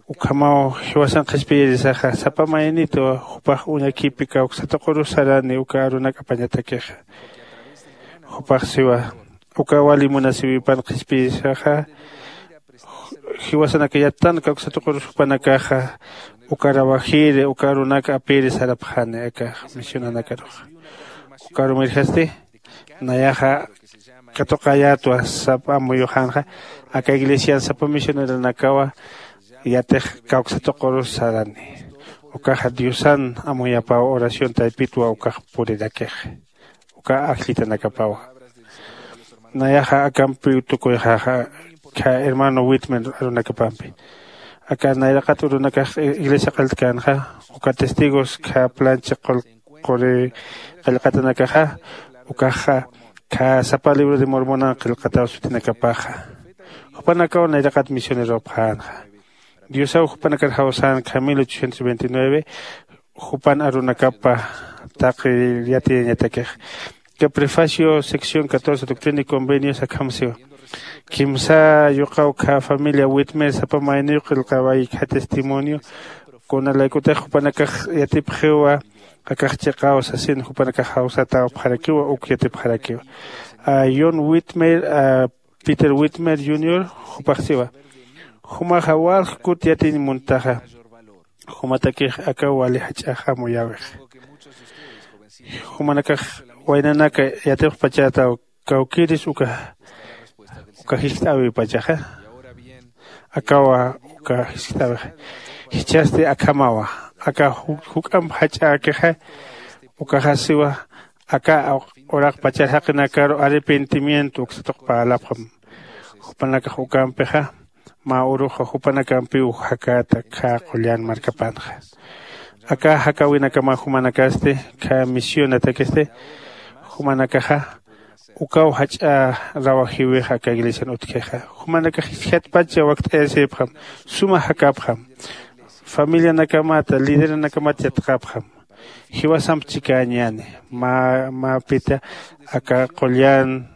ukhamaw jiwasan qhispiyirisaxa sapa maynitwa jupax uñakipi kawksatuquru sarani uka arunak apañatakixa. Jupax siwa uka wali munasiwipan qhispiyirisaxa jiwasanaka yattan kawksatuqurus jupanakaxa uka rawajiri uka arunak apiri sarapxani aka misionanakaruxa. Uka arumirjasti nayaxa katuqayätwa sapa amuyuxänxa aka iglesian sapa misioneronakawa yatix kawksatuqurus sarani. Ukaxa diosan amuyapaw oración taypitwa ukax purirakix uka ajllitanakapawa. Nayaxa akampiw tukuyxaxa kha hermano witmer arunakapampi aka nayraqat urunakax iglesia qalltkänxa uka testigos kha plancha quri qillqatanakaxa ukaxa kha sapa libro de mormonan qillqataw sutinakapaxa jupanakaw nayraqat misioneropxänxa. Diosaw jupanakar jawsän kha mil ochocientos veintinueve jupan arunakapa taqi yatiyañatakix. Ka prefacio sección catorce doctrina y convenios akham siwa kimsa yuqaw kha familia witmer sapa mayniw qillqaway kha testimonio kunalaykutix jupanakax yatipxiwa akax chiqaw sasin jupanakax jawsatäwapxarakiwa uk yatipxarakiwa. John witmer peter witmer junior jupax siwa jumaxa walj kut yatiñ muntaxa. Jumatakix aka wali jach'ax amuyäwix. Jumanakax waynanaka yatipxpachätaw kawkïris uka uka jiskt'äwipachaxa. Akawa uka jiskt'äwixa jichhasti akhamawa aka juk'amp jach'äkixa. Ukaxasiwa aka uraqpachar jaqinakaru arrepentimiento uksatuq parlapxam. Jupanakax ukampixa mä uruxa jupanakampiw jakäta khä qullan markapanxa. Aka jakäwinakama jumanakasti khä misionatakisti jumanakaxa ukaw jach'a rawajïwix aka iglesian utjkixa. Jumanakax jiskatpacha wakt'ayasipxam suma jakäpxam familianakamata lideranakamat yatxapxam. Jiwasamp chikäñäni mä mäpita aka qullan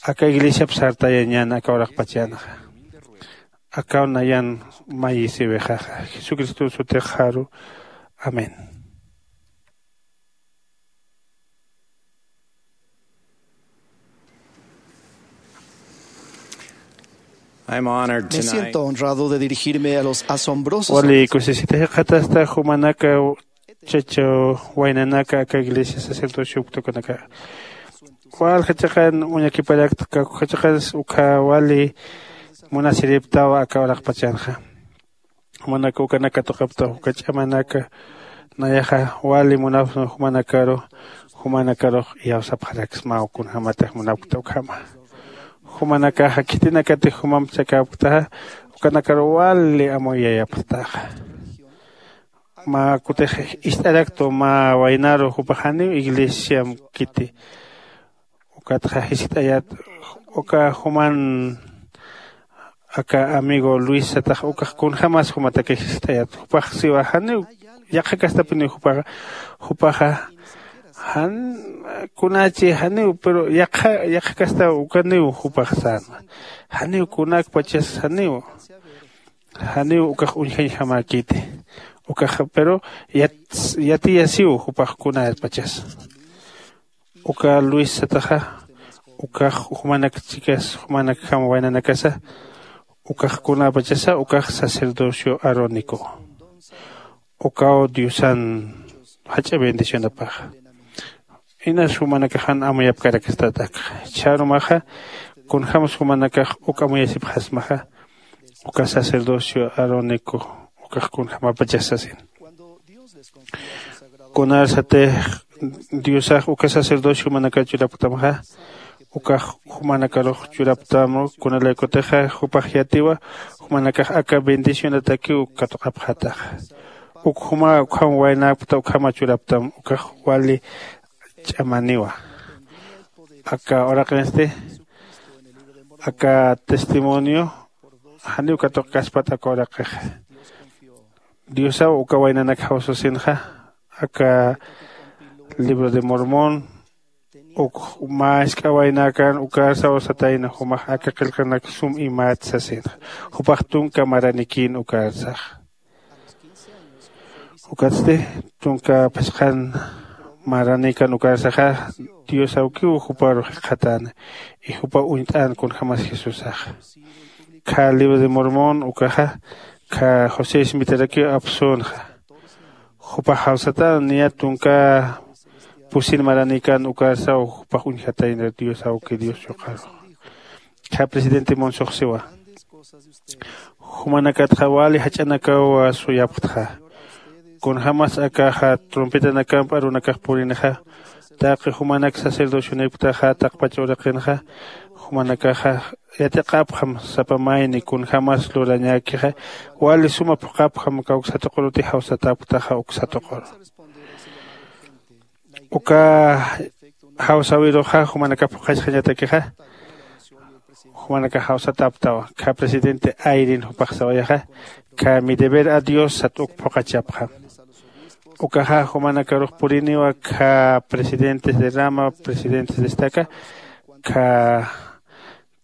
aka iglesiap sartayañäni aka uraqpachanxa. Akaw nayan mayisiwixaxa jesucristo sutixaru. Amén. I'm honored Me tonight. Siento honrado de dirigirme a los asombrosos. Wali kusisita jiqatasta jumanaka chachaw waynanaka aka iglesia sacerdocio uktukunaka walja chiqan uñakiparakta kawkja chiqans ukha wali munasiriptawa aka uraqpachanxa. Jumanaka ukanak katuqapta uka ch'amanaka nayaxa wali munapxsma jumanakaru. Jumanakarux iyawsapxaraksmaw kunjämatix munapkta ukhama. Jumanakaxa khitinakatix jumamp sakäpktaxa ukanakaru wali amuyayapxtaxa. Mä kutix ist'araktu mä waynaru jupax janiw iglesiamkiti. Ukatxa jiskt'ayät uka juman aka amigo luis satax ukax kunjämas jumatakix jiskt'ayät jupax siwa janiw yaqha kastapiniw jupaxa. Jupaxa jan kunachi janiw pero yaqha yaqha kasta ukaniw jupax sänwa. Janiw kunakpachas janiw janiw ukax uñjañjamäkiti. Ukax pero yatiyasiw jupax kunäpachas. Uka luis sataxa ukax jumanak chikas jumanakjam waynanakasa ukax kunäpachasa ukax sacerdocio arónico. Ukaw diosan jach'a bendicionapaxa. Inas jumanakaxan amuyapkarakastat akxa chharumaxa kunjämsa jumanakax uk amuyasipxasmaxa. Uka sacerdocio arónico ukax kunjämapachas sasin. Kunarsatix diosax uka sacerdocio jumanakar churapktamxa ukax jumanakarux churapktam kunalaykutixa jupax yatiwa jumanakax aka bendicionatakiw katuqapxataxa. Uk juma ukham waynäpkta ukhama churapktam ukax wali ch'amaniwa. Aka uraqinsti aka testimonio janiw katuqkaspat aka uraqixa. Diosaw uka waynanak jawsasinxa aka libro de mormón uk mä jisk'a waynäkän ukarsaw satayna jumax aka qillqanak sum imät sasinxa. Jupax tunka maranikïn ukarsaxa. Ukatsti tunka phisqhan maranikan ukarsaxa dios awkiw juparu jikxatäna. Y jupa uñt'än kunjämas jesusaxa. Kha libro de mormón ukaxa kha josé ismitarakiw apsünxa. Jupax jawsatäna niya tunka pusin maranikan ukarsaw jupax uñjatayna dios awki dios yuqarux. Kha presidente monsoxsiwa jumanakatxa wali jach'anakaw suyapxtxa. Kunjämas akaxa trompetanakamp arunakax purinixa taqi jumanak sacerdocionïpktaxa taqpach uraqinxa jumanakaxa yatiqapxam sapa mayni kunjämas lurañäkixa wali suma phuqhapxam kawksatuqurutix jawsatäpktaxa uksatuquru. Uka jawsäwiruxa jumanakax phuqhachxañatakixa jumanakax jawsatäpktawa kha presidente ayrin jupax sawayaxa. Kha mi deber a dios sat uk phuqhachapxam. Ukaxa jumanakarux puriniwa kha presidentes de rama presidentes de estaca kha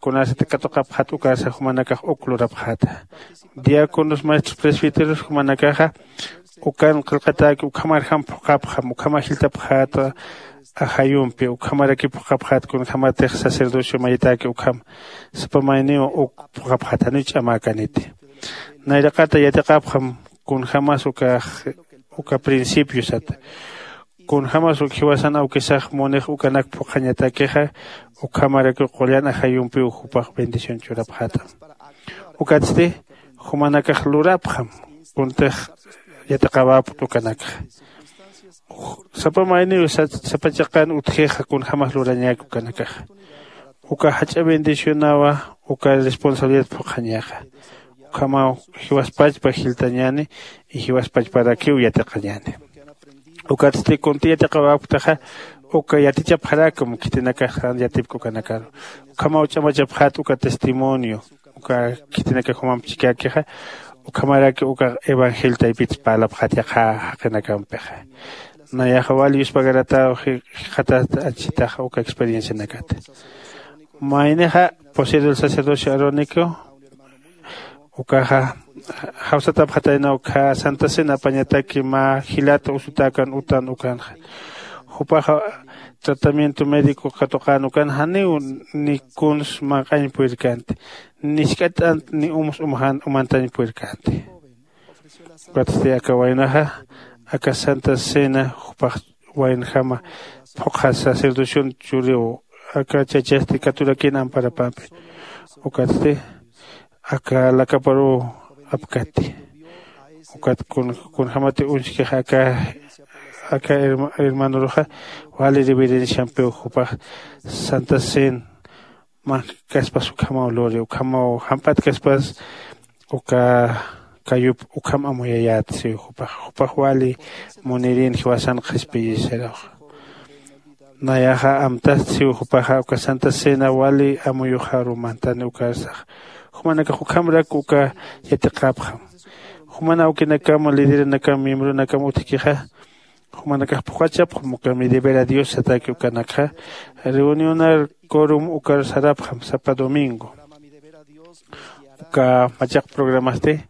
kunasati katuqapxat ukarsa jumanakax uk lurapxäta. Diáconos maestros presbíteros jumanakaxa ukan qillqatäki ukhamarjam phuqhapxam ukhama jiltapxäta. Ajayumpi ukhamaraki phuqhapxät kunjämatix sacerdocio mayitäki ukham sapa mayniw uk phuqhapxät janiw ch'amäkaniti. Nayraqata yatiqapxam kunjämas ukax uka principiosat kunjämas uk jiwasan awkisax munix ukanak phuqhañatakixa ukhamarakiw qullan ajayumpiw jupax bendición churapxätam. Ukatsti jumanakax lurapxam kuntix yatiqawapkt ukanakxa. Sapa mayniw sapa chiqan utjixa kunjämas lurañäki ukanakaxa. Uka jach'a bendicionawa uka responsabilidad phuqhañaxa. Ukhamaw jiwaspachpa jiltañäni y jiwaspachparakiw yatiqañäni. Ukatsti kunti yatiqawapktaxa uka yatichapxaräkam khitinakax jan yatipki ukanakaru. Ukhamaw ch'amachapxät uka testimonio uka khitinakax jumamp chikäkixa. Ukhamaraki uka evangelio taypitsa parlapxät yaqha jaqinakampixa. Nayaxa wali yuspagaratäw jikxatat anchitaxa uka experiencianakata. Maynixa posero del sacerdocio arónico ukaxa jawsatapxataynaw kha santa cena apañataki mä jilata usutäkan utan ukanxa. Jupaxa tratamiento médico katuqän ukan janiw ni kuns manq'añ purirkänti ni jisk'at t'ant ni umus umantañ purirkänti. Ukatsti aka waynaxa aka santa cena jupax waynjama phuqha sacerdocion churiw aka chachasti katurakïn amparapampi. Ukatsti aka lakaparuw apkati. Ukat kunjämati uñskix aka aka hermanuruxa wali reverenciampiw jupax santa cena mankaspas ukhamaw luri ukhamaw jamp'atkaspas uka kayup ukham amuyayät siw jupax jupax wali munirin jiwasan qhispiyisiraw. Nayaxa amtast siw jupaxa uka santa cena wali amuyuxaru mantani ukarsax jumanakax ukhamrak uka yatiqapxam. Juman awkinakam lideranakam miembronakam utjkixa jumanakax phuqhachapxam uka mi deber a dios sataki ukanakxa reunionar corum ukar sarapxam sapa domingo. Uka machaq programasti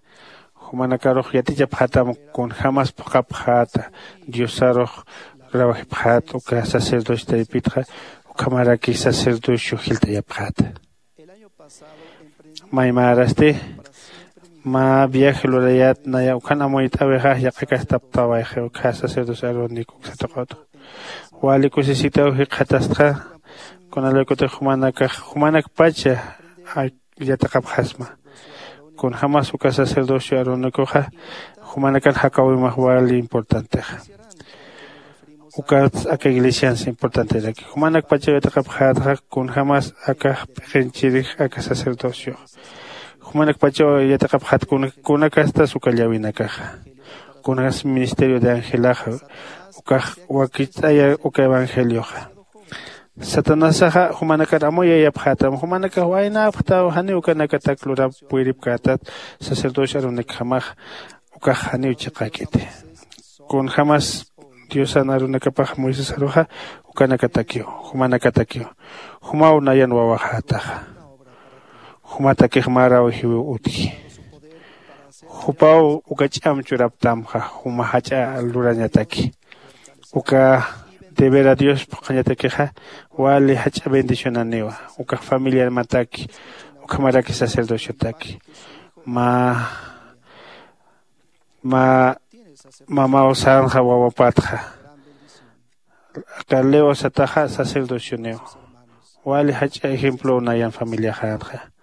jumanakarux yatichapxätam kunjämas phuqhapxäta diosarux rawjipxät uka sacerdocio taypitxa ukhamaraki sacerdocio jilt'ayapxäta. Maymarasti mä viaje lurayät naya ukhan amuyt'äwixa yaqhakastaptäwayxi ukkha sacerdocio arónico uksataqutxa wali kusisitaw jikxatastxa. Kunalaykutix jumanakax jumanakpacha yatiqapxasma kunjämas uka sacerdocio arónicoxa jumanakan jakäwimax wali importantexa. Ukats aka iglesians importanteraki jumanakpachaw yatiqapxätxa kunjämas akax p'iqinchirix aka sacerdociox jumanakpachaw yatiqapxät kunakastas uka llawinakaxa. Kunas ministerio de angelaxa ukax wakicht'aya uka evangelioxa. Satanasaxa jumanakar amuyayapxätam jumanakax waynäpxtaw janiw ukanakatak lurap puyripkätat sacerdocio arunikjamax ukax janiw chiqäkiti. Kunjämas diosan arunakapax moisesaruxa ukanakatakiw jumanakatakiw jumaw nayan wawaxätaxa. Jumatakix mä rawjiwiw utji. Jupaw uka ch'am churaptamxa juma jach'a lurañataki. Uka deber a dios phuqhañatakixa wali jach'a bendicionaniwa. Ukax familiarmataki ukhamaraki sacerdociotaki mä mä mamaw sänxa wawapatxa aka leo sataxa sacerdocioniw. Wali jach'a ejemplow nayan familiaxänxa.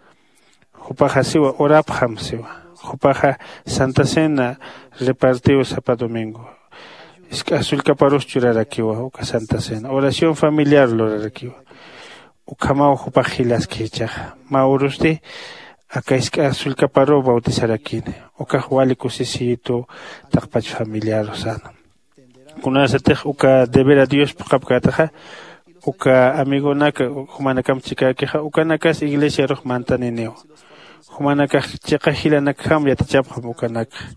Jupaxa siwa urapxam siwa. Jupaxa santa cena repartiw sapa domingo. Isk'a sullkaparus churarakiwa uka santa cena oración familiar lurarakiwa. Ukhamaw jupax jilaski jichhaxa mä urusti aka isk'a sullkaparuw bautizarakini. Ukax wali kusisiyitu taqpach familiaru säna. Kunasatix uka deber a dios phuqhapkätaxa uka amigonak jumanakam chikäkixa ukanakas iglesiarux mantaniniw. Jumanakax chiqa jilanakjam yatichapxam ukanakxa.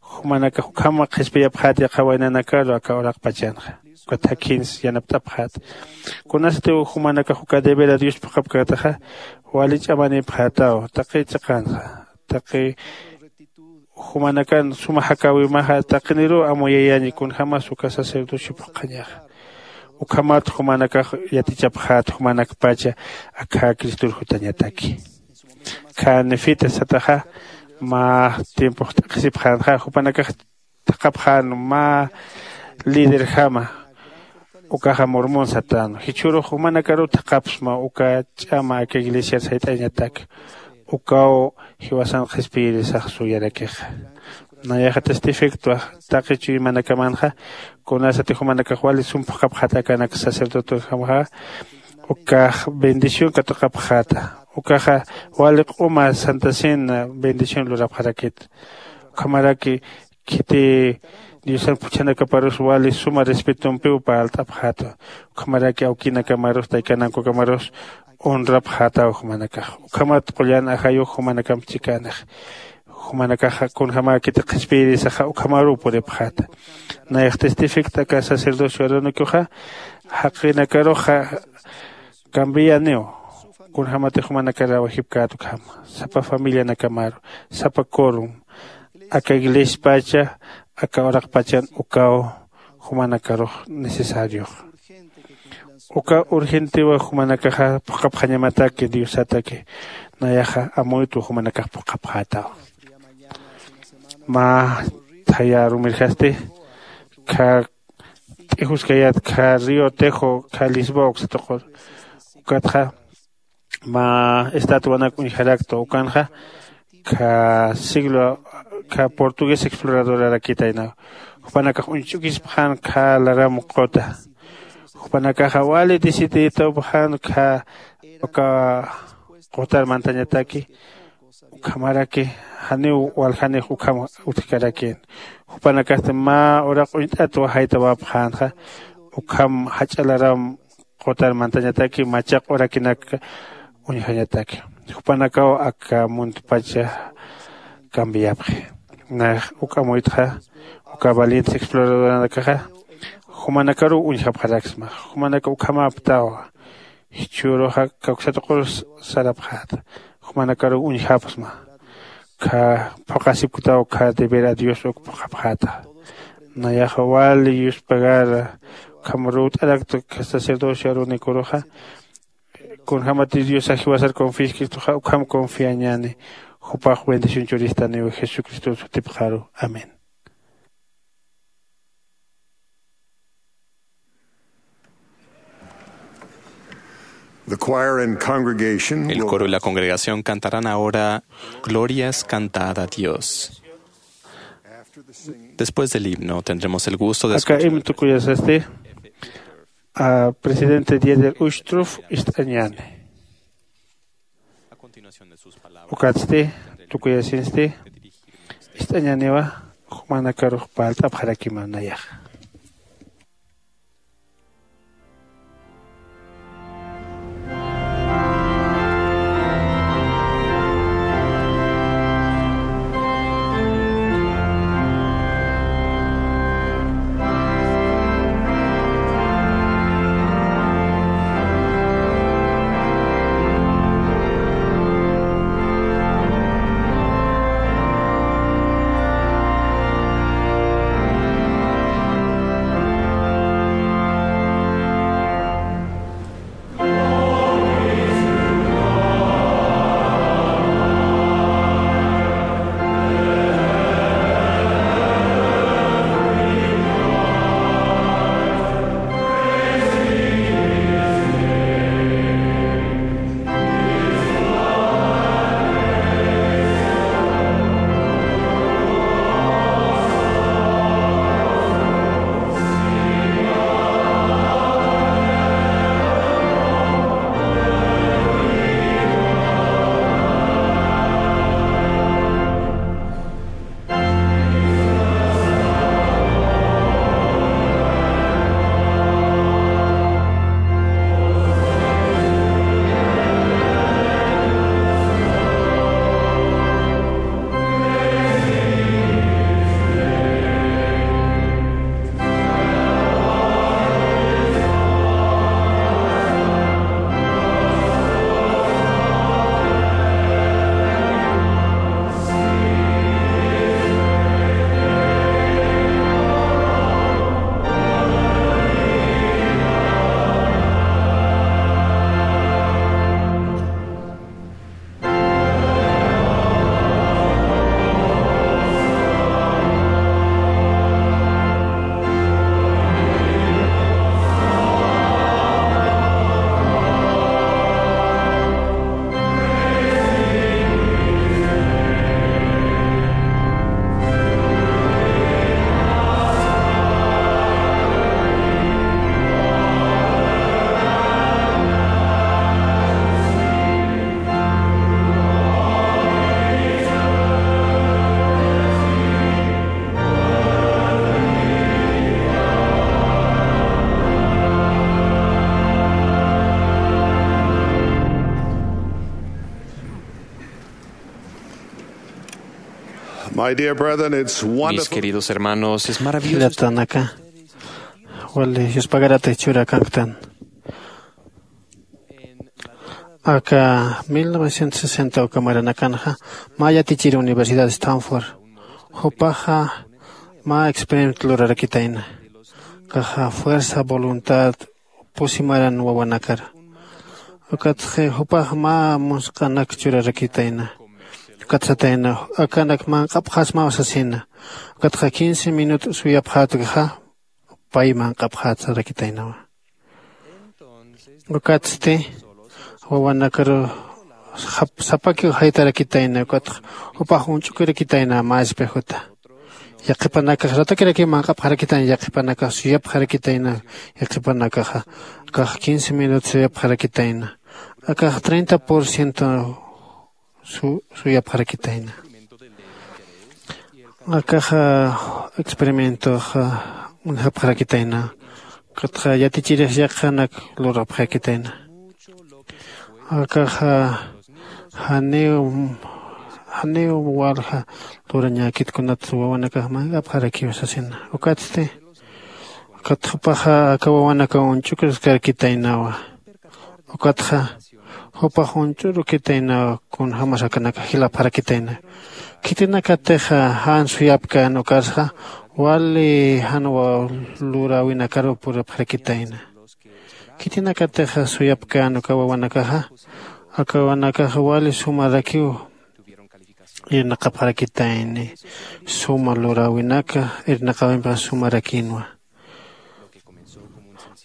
Jumanakax ukham qhispiyapxät yaqha waynanakaru aka uraqpachanxa. Ukat jakhins yanapt'apxät. Kunasatiw jumanakax uka deber a dios phuqhapkätaxa wali ch'amanipxätaw taqi chiqanxa taqi jumanakan suma jakäwimaxa taqiniruw amuyayañi kunjämas uka sacerdocio phuqhañaxa. Ukhamat jumanakax yatichapxät jumanakpacha akha cristor jutañataki. Kha nefita sataxa mä tiempox t'aqhisipxänxa jupanakax thaqhapxän mä liderjama. Ukaxa mormón satänu jichhürux jumanakaruw thaqhapsma uka ch'ama aka iglesiar sayt'añatak. Ukaw jiwasan qhispiyirisax suyarakixa. Nayaxa testifictwa taqi chuymanakamanxa kunasati jumanakax wali sum phuqhapxäta akanak sacerdotekamxa ukax bendición katuqapxäta. Ukaxa wali q'uma santa cena bendición lurapxarakit. Ukhamaraki khiti diosan phuchhanakaparus wali suma respetompiw parlt'apxäta. Ukhamaraki awkinakamarus taykanankukamarus honrapxätaw jumanakax. Ukhamat qullan ajayux jumanakamp chikänix jumanakaxa kunjämäkiti qhispiyirisaxa ukhamaruw puripxäta. Nayax testificta aka sacerdocio arónicoxa jaqinakaruxa cambianiw. Kunjämatix jumanakar rawajipkät ukhama sapa familianakamaru sapa corum aka iglesiapacha aka uraqpachan ukaw jumanakarux necesariox. Uka urgentiwa jumanakaxa phuqhapxañamataki diosataki nayaxa amuytwa jumanakax phuqhapxätaw. Mä thaya rumirjasti kha t'ijuskayät kha río tejo kha lisboa uksatuqur ukatxa mä estatuanak uñjarakta ukanxa kha siglo kha portugués exploradorarakitaynaw. Jupanakax uñch'ukispxän kha laram quta. Jupanakaxa wali deciditawpxän kha uka qutar mantañataki. Ukhamaraki janiw waljanix ukham utjkarakïn. Jupanakasti mä uraq uñt'at wajaytawapxänxa ukham jach'a laram qutar mantañataki machaq urakinak uñjañataki. Jupanakaw aka muntpacha cambiapxi. Nax uk amuytxa uka valientes exploradoranakaxa jumanakaruw uñjapxaraksma. Jumanaka ukhamäptawa. Jichhüruxa kawsatuqur sarapxäta. Jumanakaruw uñjapxsma. Kha phuqasipktaw kha deber a Dios uk phuqhapxäta. Nayaxa wali yuspagara ukham ruwt'arakta kha sacerdocio arunikuruxa. Kunjämatir Diosax jiwasar confiskirtuxa ukham confiañäni. Jupax bendición churistaniw Jesucristo sutipxaru. Amén. The choir and congregation El will coro y la congregación cantarán ahora Glorias cantad a Dios. Después del himno tendremos el gusto de aka escuchar himno tukuyasasti a presidente Dieter Uchtdorf ist'añäni. Ukatsti tukuyasinsti ist'añäniwa. Jumanakarux parlt'apxarakima nayaxa. My dear brethren, it's Mis wonderful. Queridos hermanos, es maravilloso. Jilatanaka, wali yuspagarata churakanktan. Aka mil novecientos sesenta uka maranakanxa mä yatichir Universidad Stanford jupaxa mä experimento lurarakitayna. Kaxa fuerza voluntad pusi maran wawanakar. Ukatxi jupax mä musq'anak churarakitayna. Ukat satayna akanak manq'apxasmaw sasina. Ukatxa quince minut suyapxätkxa pay manq'apxätsarakitaynawa. Ukatsti wawanakaru sapakiw jaytarakitayna ukatxa jupax uñch'ukirakitayna mä espejuta. Yaqhipanakax ratukirakiw manq'apxarakitayna yaqhipanakax suyapxarakitayna. Yaqhipanakaxa akax quince minutos suyapxarakitayna. Akax treinta por ciento suyapxarakitayna. Akaxa experimentoxa uñjapxarakitayna. Ukatxa yatichirix yaqhanak lurapxarakitayna. Akaxa janiw janiw walja lurañäkit kunat wawanakax manq'apxarakiw sasina. Ukatsti ukat jupaxa aka wawanakaw uñch'ukiskarakitaynawa. Ukatxa jupax uñch'urukitaynawa kunjämas akanakax jilapxarakitayna. Khitinakatixa jan suyapkän ukarsa wali jan luräwinakaruw puripxarakitayna. Khitinakatixa suyapkän uka wawanakaxa aka wawanakaxa wali sumarakiw irnaqapxarakitayni. Suma luräwinaka irnaqäwimpixa sumarakïnwa.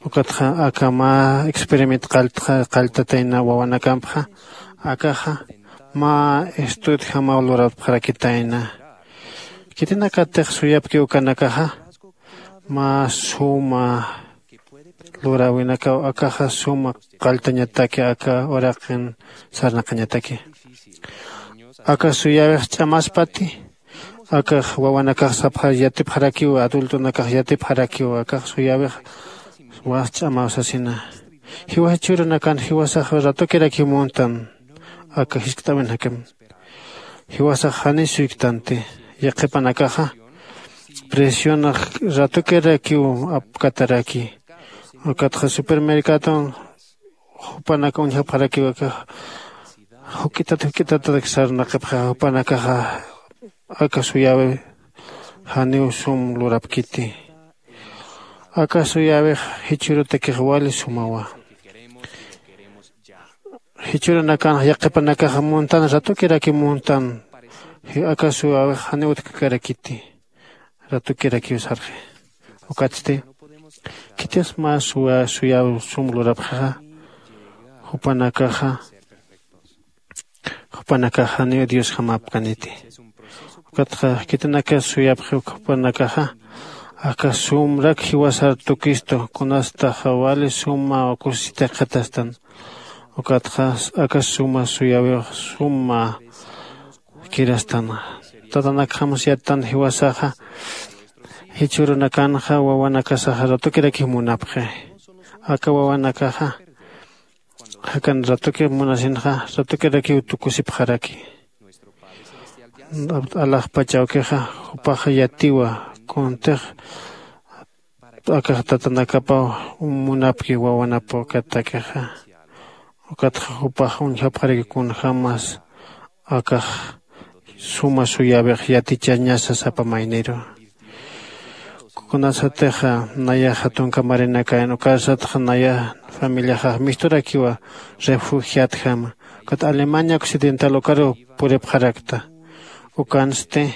Ukatxa aka mä experiment qalltatayna wawanakampxa akaxa mä estudjamaw lurapxarakitayna. Khitinakatix suyapki ukanakaxa mä suma luräwinakaw akaxa suma qalltañataki aka uraqin sarnaqañataki. Aka suyäwix ch'amaspati akax wawanakax sapxar yatipxarakiw adultonakax yatipxarakiw akax suyäwix was ch'amaw sasina. Jiwasax jichhürunakan jiwasax ratukirakiw muntan aka jiskt'äwinakam. Jiwasax janiy suyktanti yaqhipanakaxa presionax ratukirakiw apkataraki. Ukatxa supermercadon jupanaka uñjapxarakiw akax juk'itat juk'itatatak sarnaqipxa jupanakaxa aka suyäwi janiw sum lurapkiti. Aka suyäwix jichhürutakix wali sumawa. Jichhürunakanx yaqhipanakaxa muntan ratukirakiw muntan. Aka suyäwix janiw utjkarakiti. Ratukirakiw sarxi. Ukatsti khitis mä suyaw sum lurapxixa jupanakaxa jupanakax janiw diosjamäpkaniti. Ukatxa khitinaka suyapxi jupanakaxa aka sumrak jiwasar tukistu kunastaxa wali suma kusisitix qhitastan. Ukatxa aka suma suyawix suma kirastan tatanakjamas yattan jiwasaxa jichhürunakanxa wawanakasaxa ratukirakiw munapxi. Aka wawanakaxa jakan ratuki munasinxa ratukirakiw tukusipxaraki. Alaxpach awkixa jupax yatiwa kuntix akax tatanakapaw munapki wawanapaw katakixa. Ukatxa jupax uñjapxaraki kunjämas akax suma suyäwix yatichañasa sapa mayniru. Kunasatixa nayaxa tunka marinakayan ukarsatxa naya familiaxax misturakiwa refugiatjama ukat alemania occidental ukaruw puripxarakta. Ukansti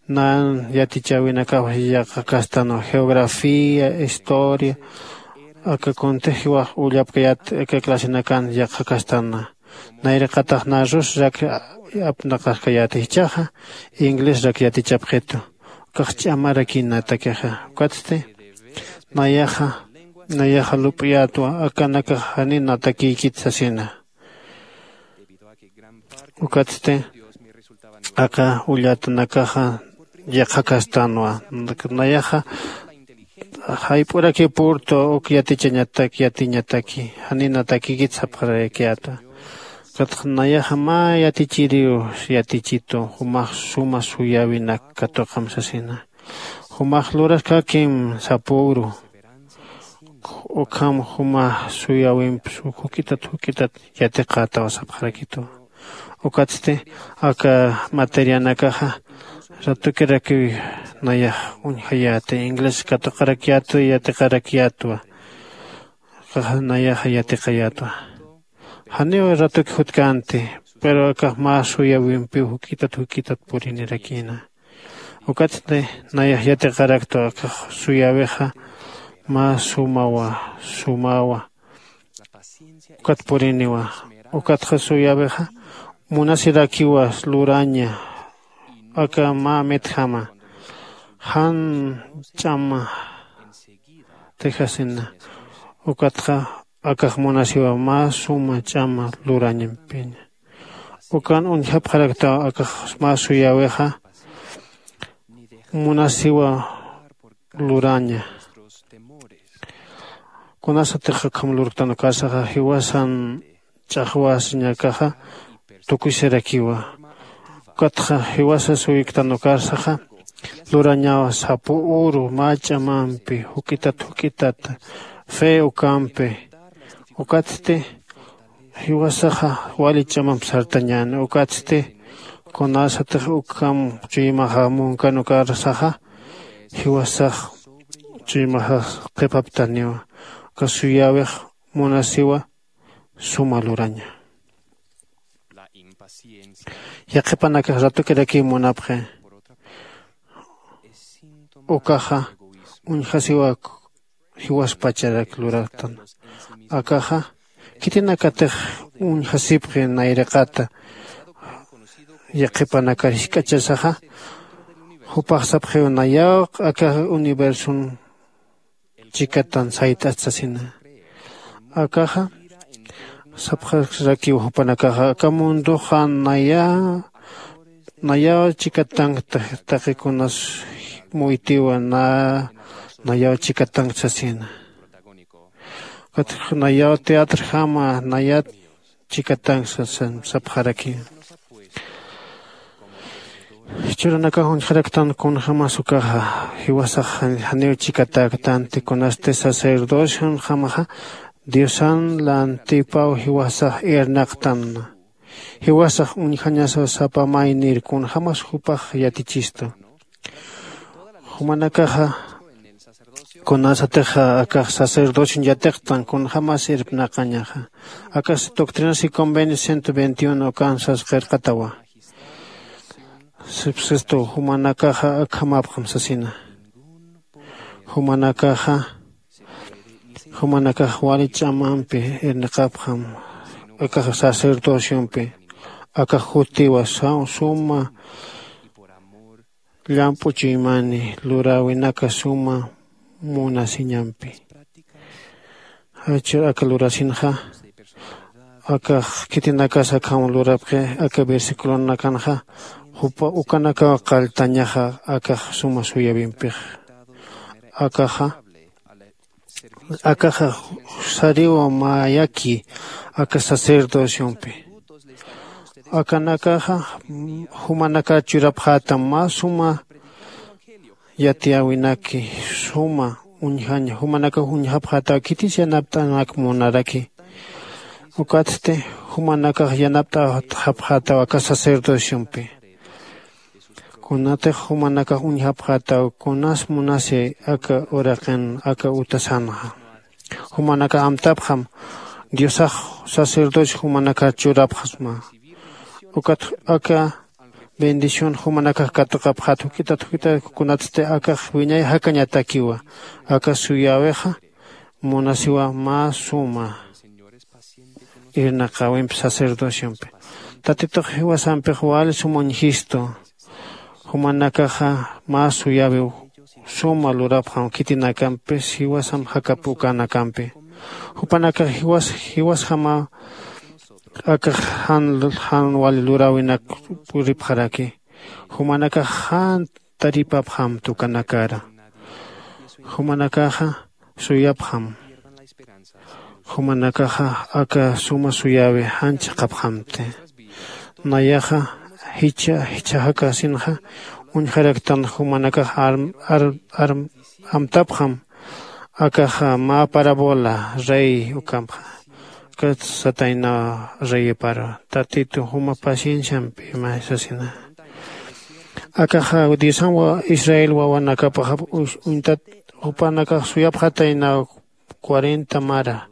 nan yatichäwinakaw yaqhakastanwa geografía historia aka kuntix jiwax ullapkayät aka clasinakan yaqhakastana. Nayraqatax na rusrak apnaqaskayäti jichhaxa inglesrak yatichapxitu. Ukax ch'amarakïnatakixa ukatsti nayaxa nayaxa lup'iyätwa akanakax janiw natakïkit sasina. Ukatsti aka ullatanakaxa yaqhakastanwa nayaxa jayp'uraki purtu uk yatichañatak yatiñataki janiw natakïkit sapxarakiyätwa. Ukatxa nayaxa mä yatichiriw yatichitu jumax suma suyäwinak katuqam sasina. Jumax luraskäkim sapüru ukham juma suyäwimp juk'itat juk'itat yatiqätaw sapxarakituwa. Ukatsti aka materianakaxa ratukirakiw nayax uñjayäti inglés katuqarakyätwa yatiqarakyätwa. Akaxa nayaxa yatiqayätwa. Janiw ratuki jutkänti pero akax mä suyäwimpiw juk'itat juk'itat purinirakïna. Ukatsti nayax yatiqaraktwa akax suyäwixa mä sumawa sumawa Ukat puriniwa. Ukatxa suyawixa munasirakiwa luraña aka mä mitjama jan ch'ama tijasina. Ukatxa akax munasiwa mä suma ch'ama lurañampiña. Ukan uñjapxaraktaw akax mä suyawixa munasiwa luraña. Kunasatix ukham lurktan ukarsaxa jiwasan ch'axwasiñakaxa tukuysirakiwa. Ukatxa jiwasa suyktan ukarsaxa lurañawa sapu uru mä ch'amampi juk'itat juk'itat fe ukampi. Ukatsti jiwasaxa wali ch'amamp sartañäni. Ukatsti kunasatix ukham chuymaxa munkan ukarsaxa jiwasax chuymaxax qhipaptaniwa. Uka suyawix munasiwa suma luraña. Yaqhipanakax ratukirakiw munapxi. Ukaxa uñjasiwak jiwaspacharak luraktan. Akaxa khitinakatix uñjasipxi nayraqata yaqhipanakar jisk'achasaxa. Jupax sapxiw nayaw aka universon chikatan sayt'at sasina. Akaxa sapxarakiw jupanakaxa aka mundoxa naya nayaw chikatank taqikunas muytiwa na nayaw chikatank sasina. Ukat nayaw teatrjama nayat chikatank sasan sapxaraki. Churanakax uñjaraktan kunjämas ukaxa jiwasax janiw chikatäktanti kunasti sacerdocion jamaxa diosan lantipaw jiwasax irnaqtanna. Jiwasax uñjañasaw sapa maynir kunjämas jupax yatichistu. Jumanakaxa kunasatixa akax sacerdocion yatiqtan kunjämas irpnaqañaxa. Akax doctrinas y convenios ciento veintiuno ukan sasqirqatawa. Sipsistu jumanakaxa akhamapxam sasina. Jumanakaxa jumanakax wali ch'amampi irniqapxam. Akax sacerdociompi akax jutiwa suma llamp'u chuymani luräwinaka suma munasiñampi. Jachur aka lurasinxa akax khitinakas akham lurapxi aka versiculonakanxa jupa ukanakaw qalltañaxa akax suma suyawimpixa. Akaxa akaxa sariwa mayaki aka sacerdociompi. Akanakaxa jumanakar churapxätam mä suma yatiyäwinaki suma uñjaña jumanakax uñjapxätaw khitis yanapt'anak munaraki. Ukatsti jumanakax yanapt'apxätaw aka sacerdociompi. Kunatix jumanakax uñjapxätaw kunas munasi aka uraqin aka utasanxa. Jumanakax amtapxam diosax sacerdocio jumanakar churapxasma. Ukat aka bendición jumanakax katuqapxät juk'itat juk'itat kunatsti akax wiñay jakañatakiwa. Aka suyäwixa munasiwa mä suma irnaqäwimpi sacerdociompi. Tatitux jiwasampix wali suma uñjistu. Jumanakaxa mä suyäwiw suma lurapxam khitinakampis jiwasam jakap ukanakampi. Jupanakax jiwas jiwasjamaw akax jan jan wali luräwinak puripxaraki. Jumanakax jan taripapxam tukanakara. Jumanakaxa suyapxam. Jumanakaxa aka suma suyäwi jan chiqapxamti. Nayaxa jichha jichha jakasinxa uñjaraktan jumanakax arm arm arm amtapxam. Akaxa mä parabola rey ukampxa. Kat sataynaw reyipar tatitu juma pacienciampi ima sasina. Akaxa diosan wa israel wawanakapaxa uñtat jupanakax suyapxataynaw cuarenta mara.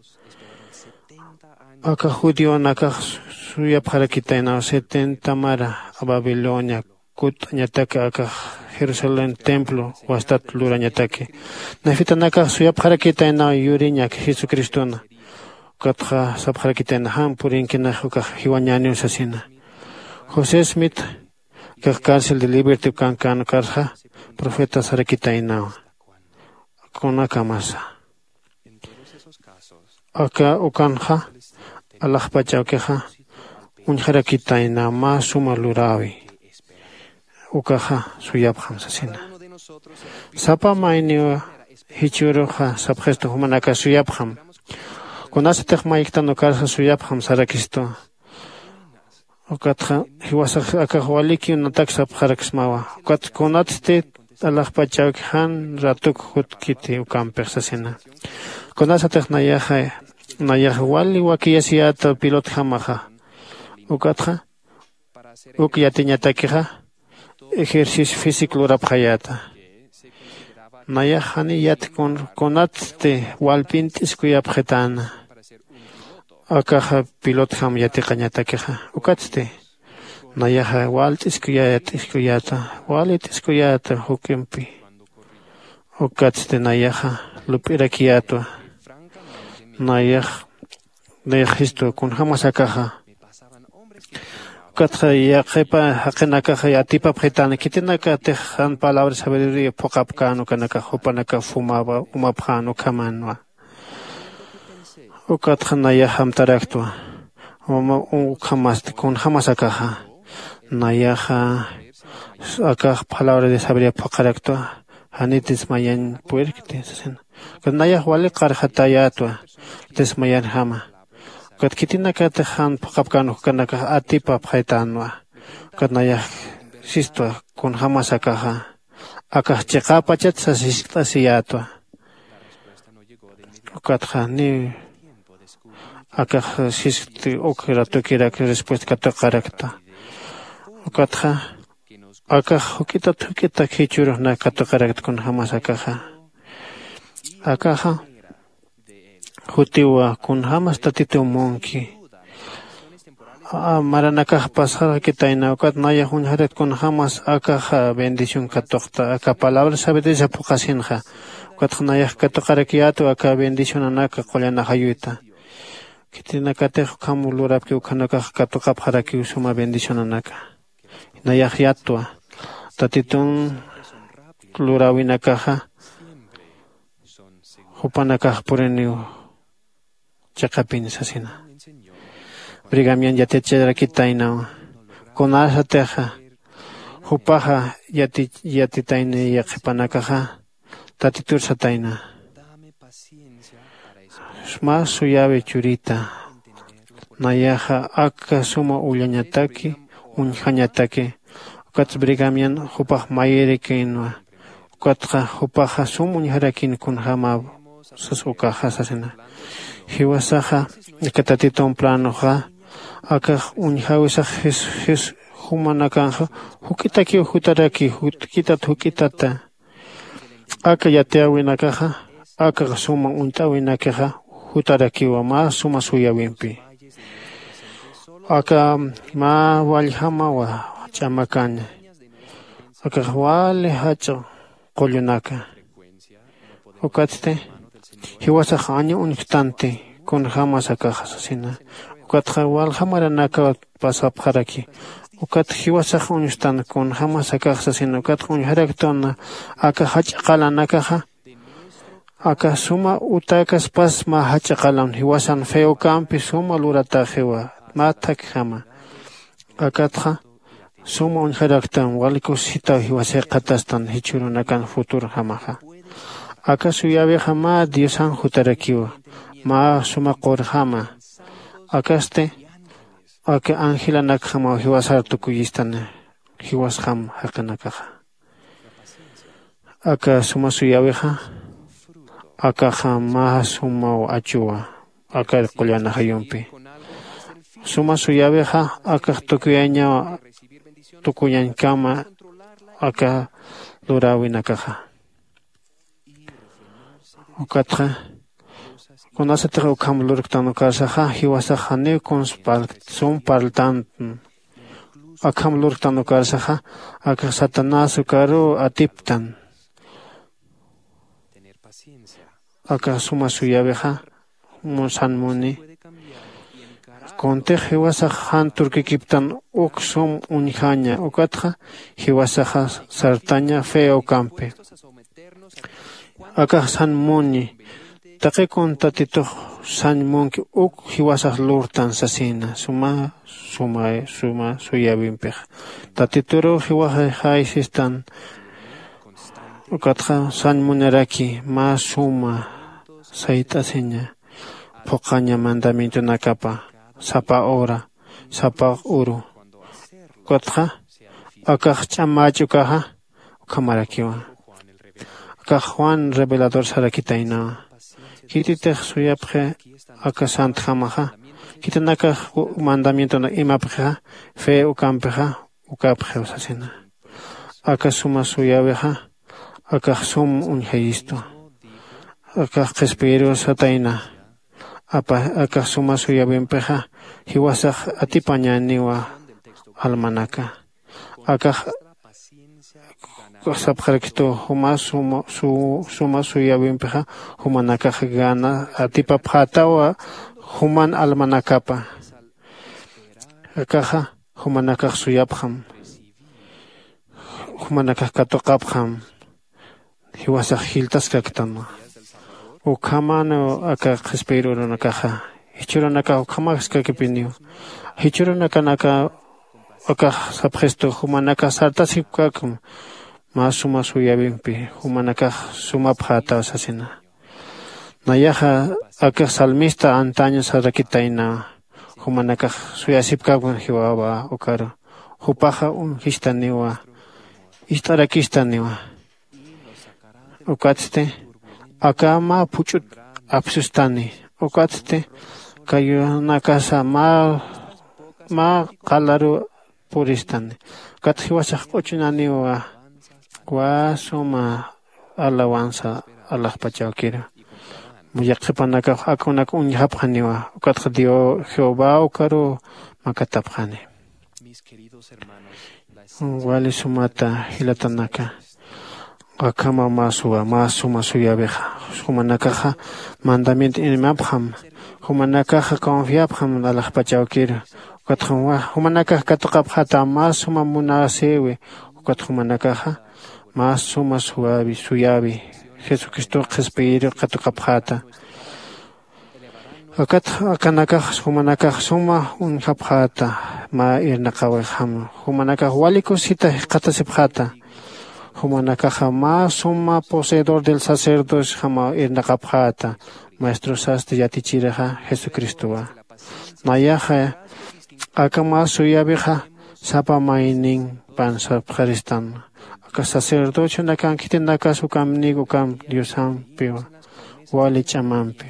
Aka judionakax suyapxarakitaynaw setenta mara babilonia kut'añataki akax jerusalén templo wastat lurañataki. Nafitanakax suyapxarakitaynaw yuriñak jesucristona. Ukatxa sapxarakitayna jan purinkinax ukax jiwañäniw sasina. José smith, akax cárcel de liberty ukankän ukarxa profeta sarakitaynawa. Kunakamasa aka ukanxa alaxpach awkixa uñjarakitayna mä suma luräwi. Ukaxa suyapxam sasina. Sapa mayniw jichhüruxa sapxistu jumanakax suyapxam. Kunasatix mayktan ukarsa suyapxam sarakistu. Ukatxa jiwasax akax walikiw natak sapxaraksmawa. Ukat kunatsti alaxpach awki jan ratuk jutkiti ukampix sasina. Kunasatix nayaxa nayax wali wakiyasiyäta pilotjamaxa. Ukatxa uk yatiñatakixa ejercicio físico lurapxayäta. Nayax jani yat kunatsti walpint'iskuyapxitäna. Akaxa pilotjam yatiqañatakixa ukatsti nayaxa walt'iskuyäta walit'iskuyäta juk'impi. Ukatsti nayaxa lup'irakiyätwa. Nayax nayax jistu kunjämas akaxa. Ukatxa yaqipa jaqinakaxa atipapxitäna khitinakatix jan palabra sabiduría phuqhapkän ukanakax jupanakax umapxän ukhamänwa. Ukatxa nayax amtaraktwa. Ukhamasti kunjämas akaxa nayaxa akax palabra de sabiduría phuqharaktwa. Janitis mayañ purirkti sasina. Ukat nayax wali qarxatayätwa. Ukatis mayanjama ukat khitinakatix jan phuqhapkän ukanakax atipapxaytänwa. Ukat nayax sistwa kunjämas akaxa akax chiqäpachat sas jiskt'asiyätwa. Ukatxa niw akax siskti uk ratukirak respuesta katuqarakta. Ukatxa akax juk'itat juk'itak jichhürux na katuqarakta kunjämas akaxa. Akaxa jutiwa kunjämas tatituw munki. Maranakax pasxarakitayna ukat nayax uñjarakta kunjämas akaxa bendición katuqta aka palabra sabidurisa phuqhasinxa. Ukatxa nayax katuqarakiyätwa aka bendicionanaka qullan ajayuyta. Khitinakatix ukham lurapki ukhanakax katuqapxarakiw suma bendicionanaka. Nayax yattwa tatitun luräwinakaxa jupanakax puriniw chiqapin sasina. Brigamian yaticharakitaynaw kunasatixa jupaxa yatitayni yaqhipanakaxa tatitur satayna. Mä suyawi churita nayaxa aka suma ullañataki uñjañataki. Ukatsa brigamian jupax mayirikïnwa. Ukatxa jupaxa sum uñjarakïn kunjäma sas ukaxa sasina. Jiwasaxa aka tatitun planoxa akax uñjäwisax jumanakanxa juk'itakiw jutarakiw juk'itat juk'itata. Aka yatiyäwinakaxa aka suma uñt'äwinakixa jutarakiwa mä suma suyäwimpi. Aka mä walljamawa ch'amakaña. Akax wali jach'a qullunaka. Ukatsti jiwasax aña uñjtanti kunjämas akaxa sasina. Ukatxa walja maranakaw pasapxaraki. Ukat jiwasax uñstan kunjämas akaxa sasina ukatxa uñjaraktuna aka jach'a qalanakaxa. Aka suma utäkaspas mä jach'a qalan jiwasan feokampi suma luratäxiwa mä thakjama. Akatxa suma uñjaraktan wali kusisitaw jiwasay qhatastan jichhürunakan futurojamaxa. Aka suyäwixa mä diosan jutarakiwa mä suma qurjama. Akasti aka angelanakjamaw jiwasar tukuyistan jiwasjam jaqinakaxa. Aka suma suyäwixa akaxa mä sumaw achuwa aka qullan ajayumpi. Suma suyäwixa akax tukuyañaw tukuyañkama aka luräwinakaxa. Ukatxa kunasatix ukham lurktan ukarsaxa jiwasax janiw kuns sum parltantn. Akham lurktan ukarsaxa akax satanás ukaruw atiptan. Akax suma suyäwixa san muni Kuntix jiwasax jan turkikiptan uk sum uñjaña ukatxa jiwasaxa sartaña fe ukampi. Akax san muni taqi kun tatitux san munki uk jiwasax lurtan sasina suma suma suma suyawimpixa tatituruw jiwaxay jaysistan. Ukatxa san muniraki mä suma sayt'asiña phuqhaña mandamientonakapa sapa hora sapa uru. Ukatxa akax ch'amach'ukaxa ukhamarakiwa. Akax juan revelador sarakitaynawa. Khititix suyapxi aka santjamaxa khitinakax mandamientonak imapxixa fe ukampixa ukapxiw sasina. Aka suma suyäwixa akax sum uñjayistwa. Akax qhispiyiriw satayna. Akax suma suyäwimpixa jiwasax atipañäniwa almanaka. Akax sapxarakistu juma suma suyäwimpixa jumanakax gana atipapxätawa juman almanakapa. Akaxa jumanakax suyapxam. Jumanakax katuqapxam. Jiwasax jiltaskaktanwa. Ukhamäniw aka qhispiyir urunakaxa jichhürunakax ukhamaskakipiniw. Jichhürunakanaka akax sapxistu jumanakax sartasipkäkam mä suma suyäwimpi jumanakax sumapxätaw sasina. Nayaxa akax salmista antaño sarakitaynawa. Jumanakax suyasipkäkam jiwawa ukaru jupaxa uñjistaniwa ist'arakistaniwa. Ukatsti aka mä phuch'ut apsustani. Ukatsti kayunakasa mä qalaru puristani. Ukat jiwasax q'uchunaniwa. Wä suma alawansa alaxpachawkiru. Yaqhipanakax akunak uñjapxaniwa. Ukatxa jehová ukaruw makatapxani. Wali sumata jilatanaka. Akhama mä suwa mä suma suyäwixa jumanakaxa mandamiento imapxam. Jumanakaxa confiapxam alaxpachawkiru. Ukatxa jumanakax katuqapxäta mä suma munasïwi. Ukat jumanakaxa mä suma suyäwi jesucristox qhispiyiriw katuqapxäta. Akat akanakax jumanakax suma uñjapxäta mä irnaqäwixjama. Jumanakax wali kusisita jikxatasipxäta. Jumanakaxa mä suma poseedor del sacerdociojama irnaqapxäta. Maestrosasti yatichirixa jesucristowa. Nayaxa aka mä suyäwixa sapa maynin pansapxaristan. Aka sacerdocionakan khitinakas ukamnik ukam diosampiwa wali ch'amampi.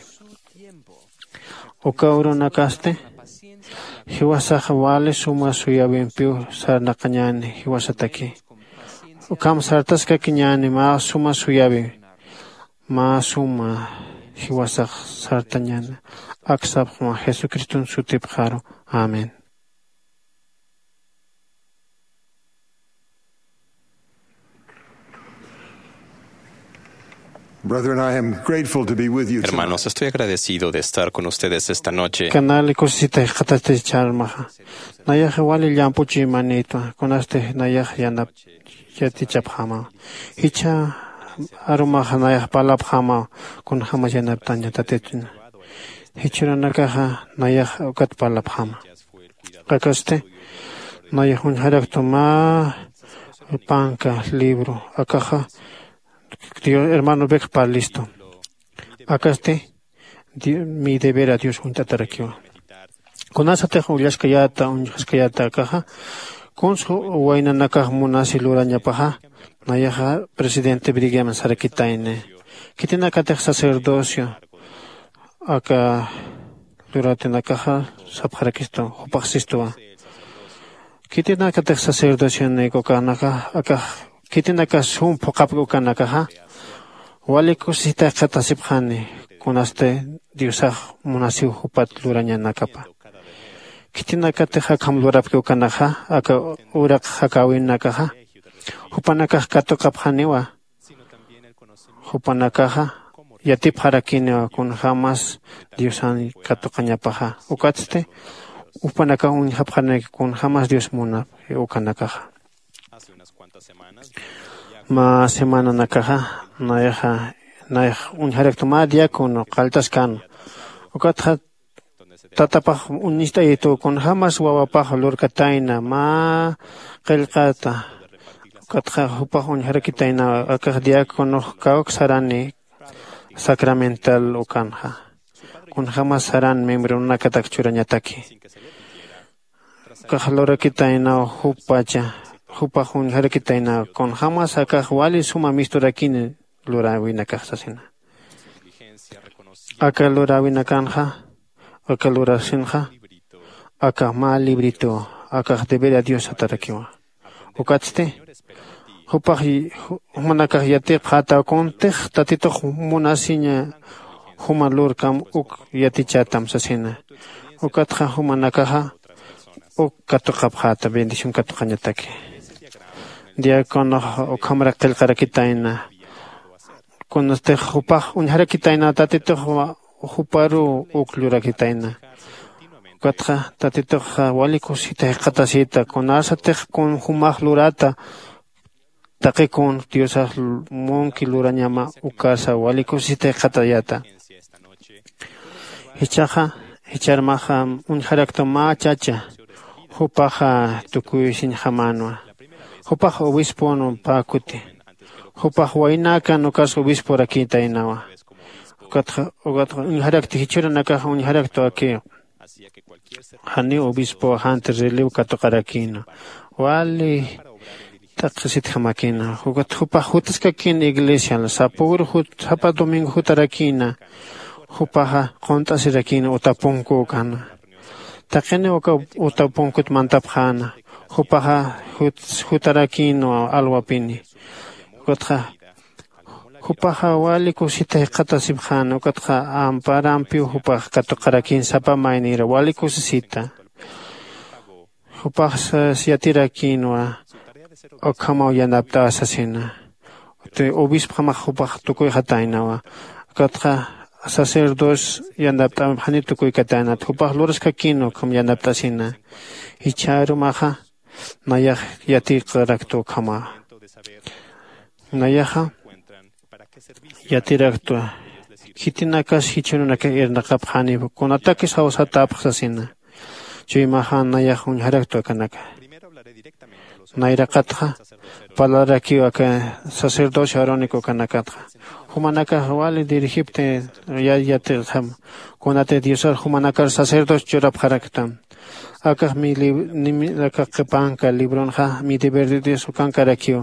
Uka urunakasti jiwasax wali suma suyäwimpiw sarnaqañäni jiwasataki. Ukham sartaskakiñäni mä suma suyäwi mä suma jiwasax sartañäni. Aksapxma jesucriston sutipxaru. Amén. Brethren, I am grateful to be with you tonight. Hermanos, estoy agradecido de estar con ustedes esta noche. Kanali kusisita jikxatasti charmaxa. Nayaxa wali llamp'uchimanitwa kunasti nayax yanap yatichapxama. Jichha arumaxa nayax parlapxama kunjämas yanaptaña tatituna. Jichhürunakaxa nayax ukat parlapxama. Akasti nayax uñjaraktu mä panka libro akaxa hermano beck parlistu. Akasti mi deber a dios uñt'atarakiwa. Kunasatix ullaskayäta uñjaskayäta akaxa kuns waynanakax munasi lurañapaxa nayaxa presidente brigam sarakitayni. Khitinakatix sacerdocio aka luratinakaxa sapxarakistu jupax sistuwa. Khitinakatix sacerdocionik ukanakax akax khitinakas sum phuqhapki ukanakaxa wali kusisita jikxatasipxani. Kunasti diosax munasiw jupat lurañanakapa. Khitinakatix akham lurapki ukanaxa aka uraq jakäwinakaxa jupanakax katuqapxaniwa. Jupanakaxa yatipxarakiniwa kunjämas diosan katuqañapaxa. Ukatsti Upanakax uñjapxaranaki kunjämas dios munap ukanakaxa. Mä semananakaxa nayaxa nayax uñjaraktu mä diácono qalltaskän. Ukatxa tatapax uñist'ayitu kunjämas wawapax lurkatayna mä qillqata. Ukatxa jupax uñjarakitayna akax diáconox kawk sarani sacramental ukanxa kunjämas saran miembronakatak churañataki. Ukax lurakitaynaw jupacha jupax uñjarakitaynaw kunjämas akax wali suma misturakini luräwinakax sasina. Aka luräwinakanxa aka lurasinxa aka mä librituw akax deber a dios satarakiwa. Ukatsti jupax jumanakax yatipxätaw kuntix tatitux munasiña juma lurkam uk yatichätam sasina. Ukatxa jumanakaxa uk katuqapxäta bendición katuqañataki. Diáconox ukhamrak qillqarakitayna kunastix jupax uñjarakitayna tatitux juparuw uk llurakitayna. Ukatxa tatituxa wali kusisita jikxatasita kunasatix kun jumax lurata taqi kun diosax munki lurañama ukasa wali kusisita jikxatayata. Jichhaxa jicharmaxa uñjarakta mä chacha jupaxa tukuysiñjamänwa. Jupax obispon pä kuti jupax waynakan ukas obisporakitaynawa. Ukatxa ukatxa uñjarakti jichhürunakaxa uñjaraktu akiw janiw obispo jant'i reliw katuqarakïna wali t'aqhisitjamakïna. Jukat jupax jutaskakïna iglesial sapüru sapa domingo jutarakïna. Jupaxa qunt'asirakïna utapunku ukana taqini uka utapunkut mantapxäna. Jupaxa jutarakïna alwapini. Ukatxa jupaxa wali kusita jikxatasipxäna ukatxa amparampiw jupax katuqarakïn sapa maynïra wali kusisita. Jupax yatirakïnwa ukhamaw yanapt'a sasina. Obispjamax jupax tukuyxataynawa. Ukatxa sacerdocio yanapt'amp janiw tukuykatäynat jupax luraskakïnwa ukham yanapt'asina. Jichhärumaxa nayax yatiqaraktu ukhama. Nayaxa yatiraktwa khitinakas jichhürunakax irnaqapxaniw kunatakis jawsatäpx sasina. Chuymaxa nayax uñjaraktwa kanaka. Nayraqatxa parlarakiw aka sacerdocio arónico kanakatxa jumanakax wali dirigipti yatixam. Kunatix diosar jumanakar sacerdocio churapxaraktam. Akax mi aka qhipanka libronxa mi deber de dios ukankarakiw.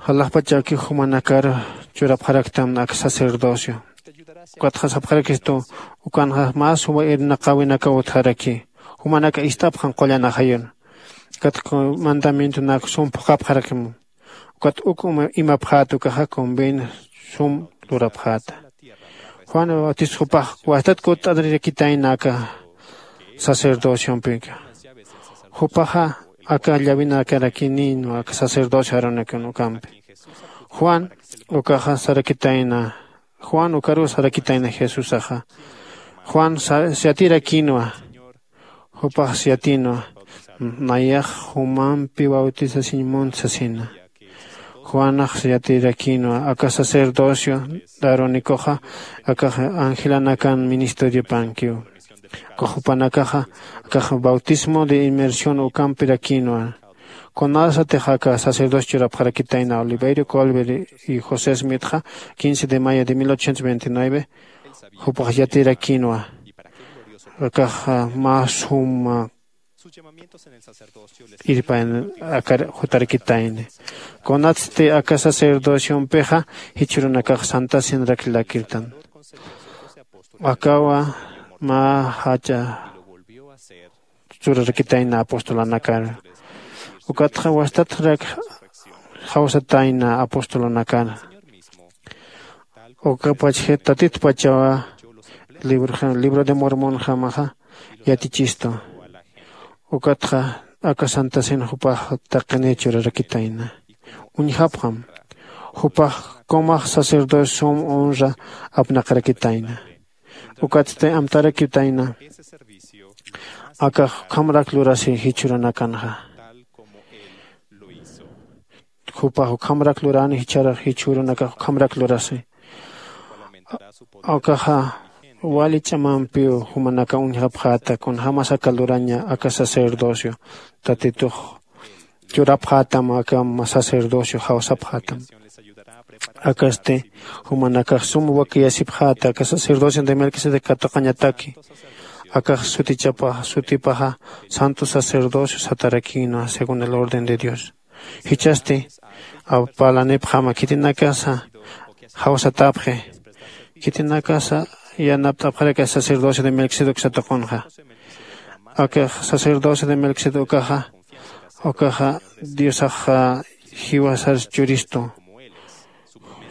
Jalaxpachakiw jumanakar churapxaraktam ak sacerdocio. Ukatxa sapxarakistu ukanxa mä suma irnaqäwinakaw utjaraki. Jumanaka ist'apxan qullan ajayun. Ukatxa mandamientonak sum phuqhapxarakim. Ukat uk imapxäta ukaxa convenio sum lurapxäta. Juan bautisxupax wastat kutt'arirakitayna aka sacerdociompikiw. Jupaxa aka llawinakarakinïnwa aka sacerdocio aronikun ukampi. Juan ukaxa sarakitayna juan ukaruw sarakitayna jesusaxa. Juan siyatirakïnwa. Jupax siyatïnwa nayax jumampi bautisasiñ munt sasina. Juanax siyatirakïnwa aka sacerdocio aaronicoxa akax angelanakan ministeriopankiw. Ukax jupanakaxa akax bautismo de inmersión ukampirakïnwa. Kunasatix aka sacerdocio churapxarakitayna oliverio colver y josé smitxa quince de mayo de mil ochocientos veintinueve. Jupax yatirakïnwa akax mä suma irpayan akar jutarakitayni. Kunatsti aka sacerdociompixa jichhürunakax santasinrak lakirtan. Akawa mä jach'a churarakitayna apostolanakar. Ukatxa wastatrak jawsatayna apostolanakar. Ukapach tatitpachawa libro de mormonjamaxa yatichistu. Ukatxa aka santasin jupax taqini churarakitayna. Uñjapxam jupax kumax sacerdocio sum honra apnaqarakitayna. Ukatsti amtarakitayna akax ukhamrak lurasi jichhürunakanxa. Jupax ukhamrak lurani jichhüru jichhürunakax ukhamrak lurasi. Akaxa wali ch'amampiw jumanaka uñjapxäta kunjämas aka luraña aka sacerdocio tatitux churapxätam aka sacerdocio jawsapxätam. Akasti jumanakax sum wakiyasipxäta aka sacerdocio de melquisedec katuqañataki. Akax sutichapaxa sutipaxa santo sacerdocio satarakïnwa según el orden de dios. Jichhasti parlanipxama khitinakasa jawsatäpxi. Khitinakasa yanapt'apxaraki sacerdocio de melquisedec satuqunxa. Aka sacerdocio de melquisedec ukaxa ukaxa diosaxa jiwasar churistu.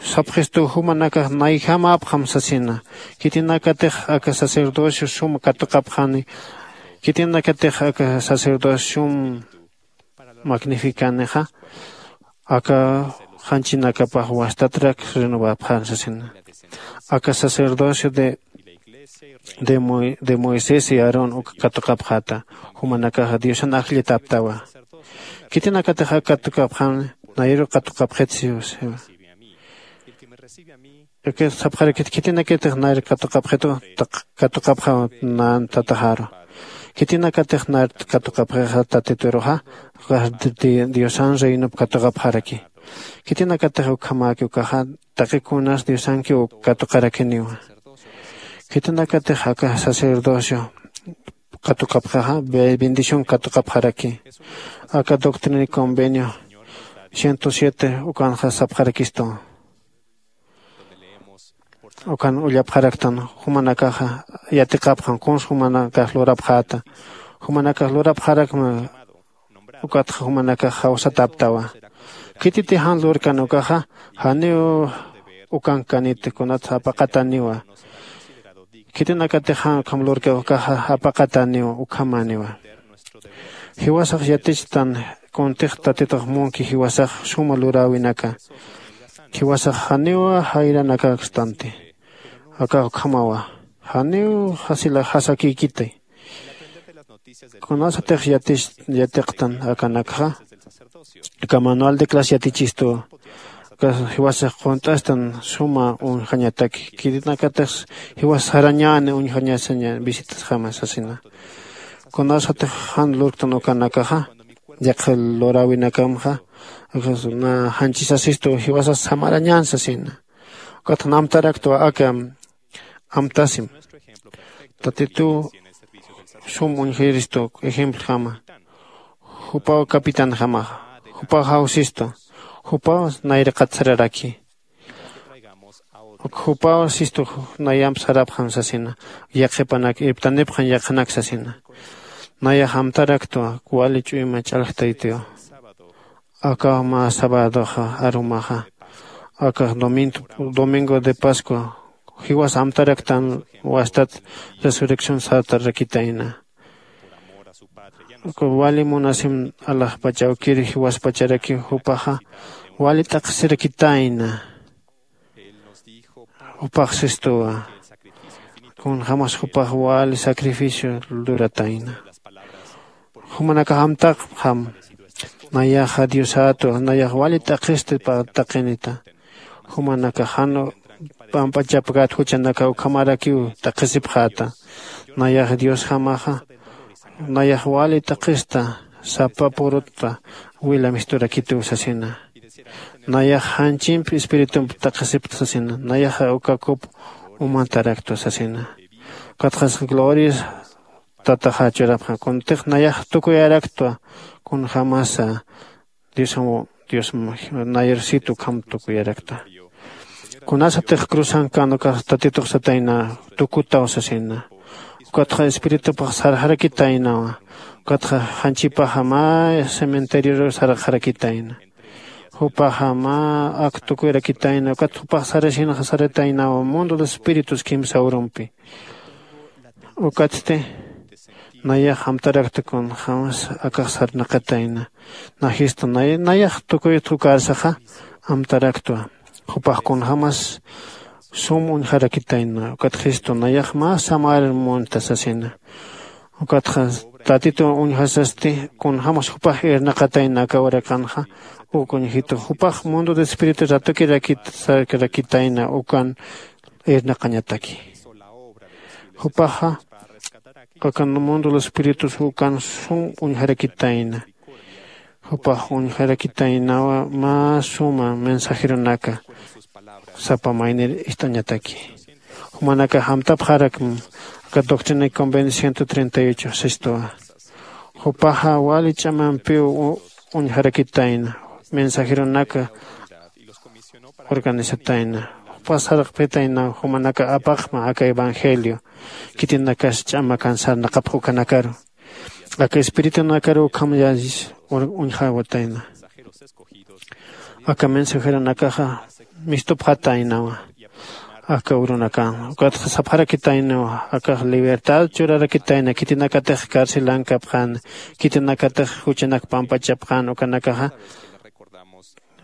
Sapxistu jumanakax nayjamäpxam sasina. Khitinakatix aka sacerdocio sum katuqapxani. Khitinakatix aka sacerdocio sum magnificanixa aka janchinakapax wastatrak renovapxan sasina. Aka sacerdocio de de moisés y aarón uka katuqapxäta. Jumanakaxa diosan ajllitäptawa. Khitinakatix aka katuqapxan nayru katuqapxit siwa. Aka sapxarakit khitinakatix nayru katuqapxitu katuqapxaw nan tataxaru. Khitinakatix nayru katuqapxixa tatituruxa diosan reinop katuqapxaraki. Khitinakatix ukhamäki ukaxa taqi kunas diosankiw katuqarakiniwa. Khitinakatix aka sacerdocio katuqapxixa bendición katuqapxaraki. Aka doctrina y convenio ciento siete ukanxa sapxarakistu. Ukan ullapxaraktan jumanakaxa yatiqapxan kuns jumanakax lurapxäta. Jumanakax lurapxarakma. Ukatxa jumanakax jawsatäptawa. Khititi jan lurkan ukaxa janiw ukankaniti kunatsa apaqatäniwa. Khitinakatix jan ukham lurkan ukaxa apaqatäniwa ukhamäniwa. Jiwasax yatichtan kuntix tatitux munki jiwasax suma luräwinaka. Jiwasax janiw jayranakastanti. Akax ukhamawa janiw jasila jasakïkiti. Kunasatix yatiqtan akanakxa aka manual de clase yatichistuwa. Aka jiwasax qunt'astan suma uñjañataki khitinakatix jiwas sarañäni uñjañasaña visitasjama sasina. Kunasatix jan lurktan ukanakaxa yaqha luräwinakamxa na janchisasistu jiwasas samarañän sasina. Ukatxa amtaraktwa aka amtasim. Tatituw sum uñjiristu ejempljama. Jupaw capitanjamaxa jupaw jawsistu. Jupaw nayraqat sararaki. Jupaw sistu nayamp sarapxam sasina. Yaqhipanak irptanipxam yaqhanak sasina. Nayax amtaraktwa wali ch'uyma ch'alj taytiw. Akax mä sabadoxa arumaxa akax domingo de pascua jiwas amtaraktan wastat resurrección satarakitayna. Wali munasim alaxpachawkir jiwaspacharakiw jupaxa wali t'aqhisirakitayna. Jupax sistuwa kunjämas jupax wali sacrificio luratayna. Jumanakax amtapxam nayaxa diosätwa nayax wali t'aqhisti taqinita. Jumanakax jan pamp'achapkät juchanakax ukhamarakiw t'aqhisipxäta. Nayax diosjamaxa nayax wali t'aqhista sapa purutta wila misturakituw sasina. Nayax janchimp espiritump t'aqhisipta sasina nayaxa uka kup umantaraktwa sasina. Ukatxas gloria tataxa churapxa kuntix nayax tukuyaraktwa kunjämasa diosam dios nayar sit ukham tukuyarakta. Kunasatix cruzan kan ukax tatitux satayna tukutaw sasina. Ukatxa espiritupax sarxarakitaynawa. Ukatxa janchipaxa mä cementerioru sarxarakitayna. Jupaxa mä ak tukuyarakitayna ukat jupax sarasinxa sarataynawa mundo de espíritus kimsa urumpi. Ukatsti nayax amtarakta kunjämas akax sarnaqatayna. Najista nayax tukuytxa ukarsaxa amtaraktwa. Jupax kunjämas sum uñjarakitayna. Ukat jistu nayax mä samar munta sasina. Ukatxa tatitu uñjasasti kunjämas jupax irnaqatayna aka uraqanxa. Uk uñjitu jupax mundo de espíritu ratukirakit sarkarakitayna ukan irnaqañataki. Jupaxa aka mundo de espíritus ukan sum uñjarakitayna. Jupax uñjarakitaynawa mä suma mensajeronaka sapa maynir ist'añataki. Jumanakax amtapxarakm aka doctrina y convenio ciento treinta y ocho sistuwa. Jupaxa wali ch'amampiw uñjarakitayna mensajeronaka organizatayna. Jupax sarqpitayna jumanaka apaqma aka evangelio. Khitinakas ch'amakan sarnaqapx ukanakaru aka espiritunakaru ukham yallis uñjawatayna. Aka mensajeronakaxa mistupxataynawa aka urunakan. Ukatxa sapxarakitaynawa akax libertad churarakitayna khitinakatix carcelankapxän khitinakatix juchanak pampachapxän ukanakaxa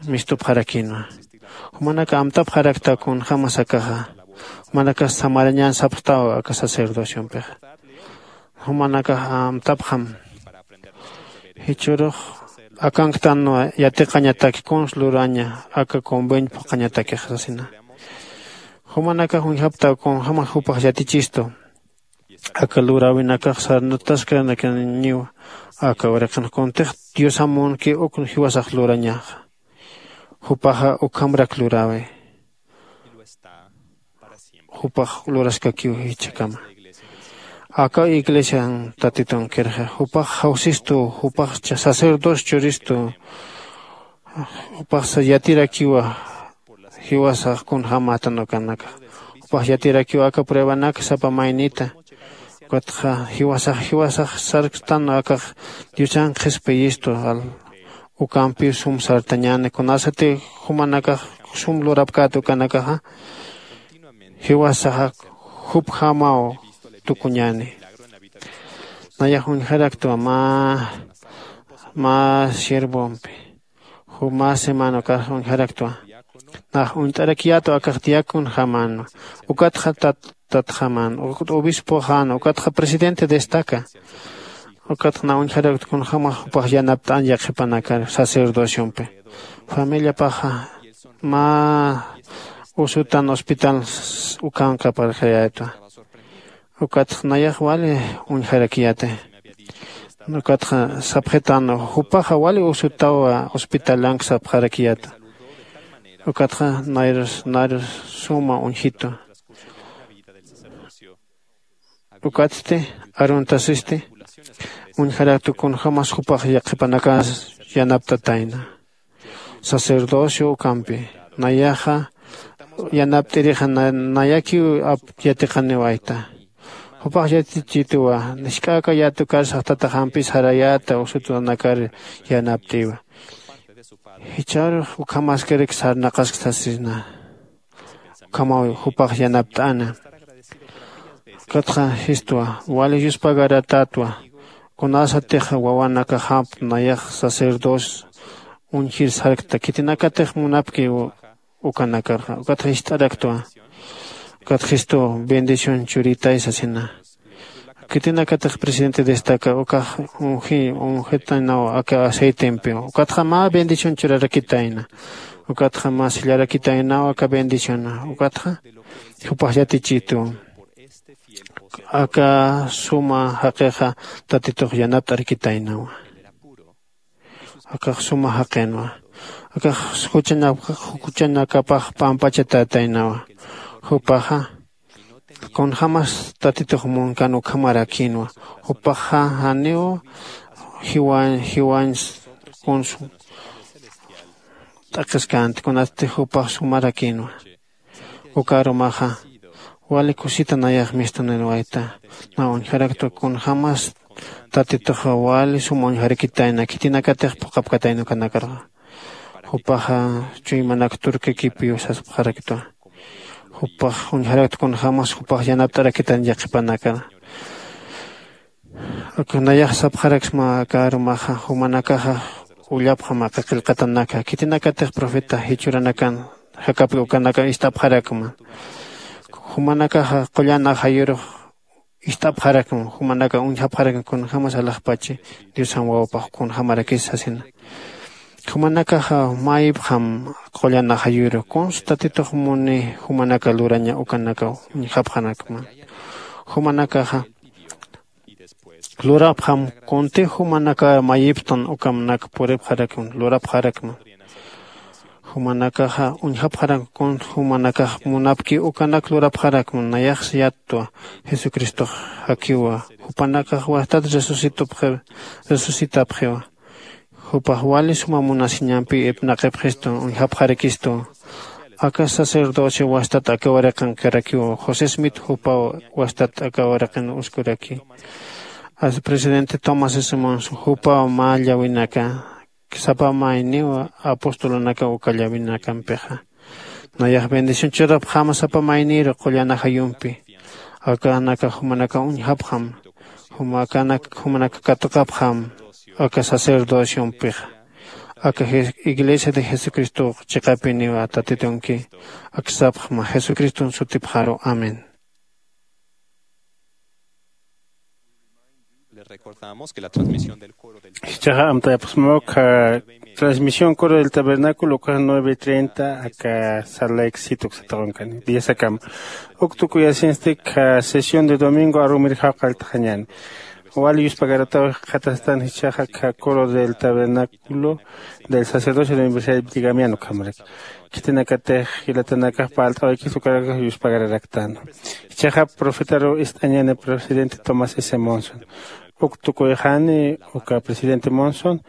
mistupxarakinwa. Jumanaka amtapxarakta kunjämas akaxa. Jumanakax samarañän sapxtaw aka sacerdociompixa. Jumanakax amtapxam jichhürux akanktanwa yatiqañataki kuns luraña aka convenio phuqhañatakix sasina. Jumanakax uñjaptaw kunjämas jupax yatichistu aka luräwinakax sarnataskanakanñiwa. Aka uraqin kuntix diosamunki uk jiwasax lurañaxa. Jupaxa ukhamrak luräwi. Jupax luraskakiw jichhakama. Aka iglesian tatitunkirxa jupax jawsistu. Jupax sacerdocio churistu. Jupax yatirakiwa jiwasax kunjämätan ukanakax. Jupax yatirakiwa aka pruebanak sapa maynita. Ukatxa jiwasax jiwasax sarkstan akax diosan qhispiyistu. Ukampiw sum sartañäni kunasati jumanakax sum lurapkät ukanakaxa jiwasaxa jupjamaw tukuñäni. Nayax uñjaraktwa mä mä siervompi juma semana ukax uñjaraktwa. Nax uñt'arakiyätwa akax diaconjamänwa. Ukatxa tatjamän ukatxa obispoxänwa ukatxa presidente destaca. Ukatxa nax uñjaraktwa kunjämas jupax yanapt'an yaqhipanakar sacerdociompi. Familiapaxa mä usutan hospital ukanqaparxayätwa. Ukatxa nayax wali uñjarakiyäti. Ukatxa sapxitan jupaxa wali usutawa hospitalank sapxarakiyäta. Ukatxa nayrus nayrus suma uñjitu. Ukatsti aruntasisti uñjaraktu kunjämas jupax yaqhipanakas yanaptatayna. Sacerdocio ukampi nayaxa yanapt'irixa nayakiw yatiqaniwayta. Jupax yatichituwa nisk'aka yatukarsax tataxampis jarayäta usutunakar yanapt'iwa. Jichharux ukhamaskarik sarnaqask sasisna. Ukhamaw jupax yanapt'ana. Ukatxa jistwa wali yuspagaratätwa. Kunasatix wawanakaxamp nayax sacerdocio uñjir sarkta khitinakatix munapki ukanakarxa ukatxa jist'araktwa. Ukatxa jistu bendición churitay sasina. Khitinakatix presidente destaca ukax unji unjitaynaw aka aceitempiw ukatxa mä bendición churarakitayna. Ukatxa mä sellarakitaynaw aka bendición ukatxa jupax yatichitu. Aka suma jaqixa tatitux yanapt'arakitaynawa. Akax suma jaqinwa. Akax juchanakapax pampachatätaynawa. Jupaxa kunjämas tatitux munkan ukhamarakïnwa. Jupaxa janiw jiwañ jiwañ kuns t'aqhiskänti kunasti jupax sumarakïnwa. Uka arumaxa wali kusita nayax mistuniruwayta. Nax uñjaraktwa kunjämas tatituxa wali sum uñjarakitayna khitinakatix phuqhapkatayna ukanakarxa. Jupaxa chuymanak turkikipiw saspxaraktwa. Jupax uñjaraktwa kunjämas jupax yanapt'arakitan yaqhipanakar. Nayax sapxaraksma aka arumaxa jumanakaxa ullapxam aka qillqatanaka khitinakatix profeta jichhüranakan jakapki ukanaka ist'apxarakma. Jumanakaxa qullan ajayurux ist'apxarakma, jumanaka uñjapxarakma kunjämas alaxpachi diosan wawapax kunjämarakis sasina. Jumanakaxa mayipxam qullan ajayuru kunsa tatitux muni jumanaka luraña ukanaka uñjapxarakma. Jumanakaxa lurapxam kunti jumanaka mayipxtan ukamnak puripxarakma lurapxarakma. Jumanakaxa uñjapxarakma kun jumanakax munapki ukanak lurapxarakma nayaxsa yattwa. Jesucristox jakiwa jupanakax wastat resucitapxiwa. Jupax wali suma munasiñampi ipnaqipxistu uñjapxarakistu. Aka sacerdocio wastat aka wariqankarakiw josé smith jupaw wastat aka wariqin uskuraki. Presidente tomás simons jupaw mä llawinaka sapa mayniw apostolunaka uka llawinakampixa. Nayax bendición churapxama sapa mayniru qullan ajayumpi. Akanaka jumanaka uñjapxam. Jumakanak jumanaka katuqapxam aka sacerdociompixa. Aka iglesia de jesucristox chiqapiniwa tatitunki. Aksapxma jesucriston sutipxaru amén. Jichhaxa amtayapxsma ukha transmisión coro del tabernáculo ukax nueve treinta aka sala exito uksataxunkani diez akama. Uk tukuyasinsti kha sesión de domingo arumir jawqalltaxañani. Wali yuspagarataw jikxatastan jichhaxa kha coro del tabernáculo del sacerdocio de universidad de brigamian ukhamarak. Khitinakatix jilatanakax parlt'awaykis ukarakax yuspagararaktan. Jichhaxa profetaru ist'añani presidente tomás s monson. Uk tukuyxani uka presidente monson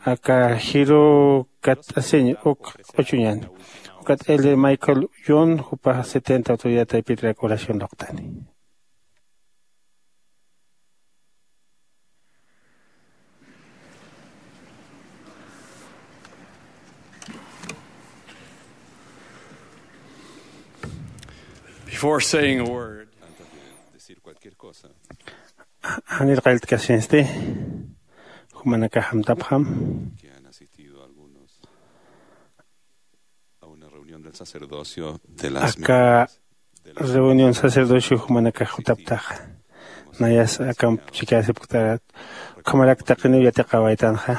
aka jiru katt'asiñ uk q'uchuñani. Ukat el michael yon jupax setenta autoridad taypitrak oración luqtani. Before saying a word, janir qalltkasinsti jumanakax amtapxam. Aka reunión sacerdocio jumanakax jutaptaxa. Nayas akamp chikasipktarat ukhamarak taqiniw yatiqawaytanxa.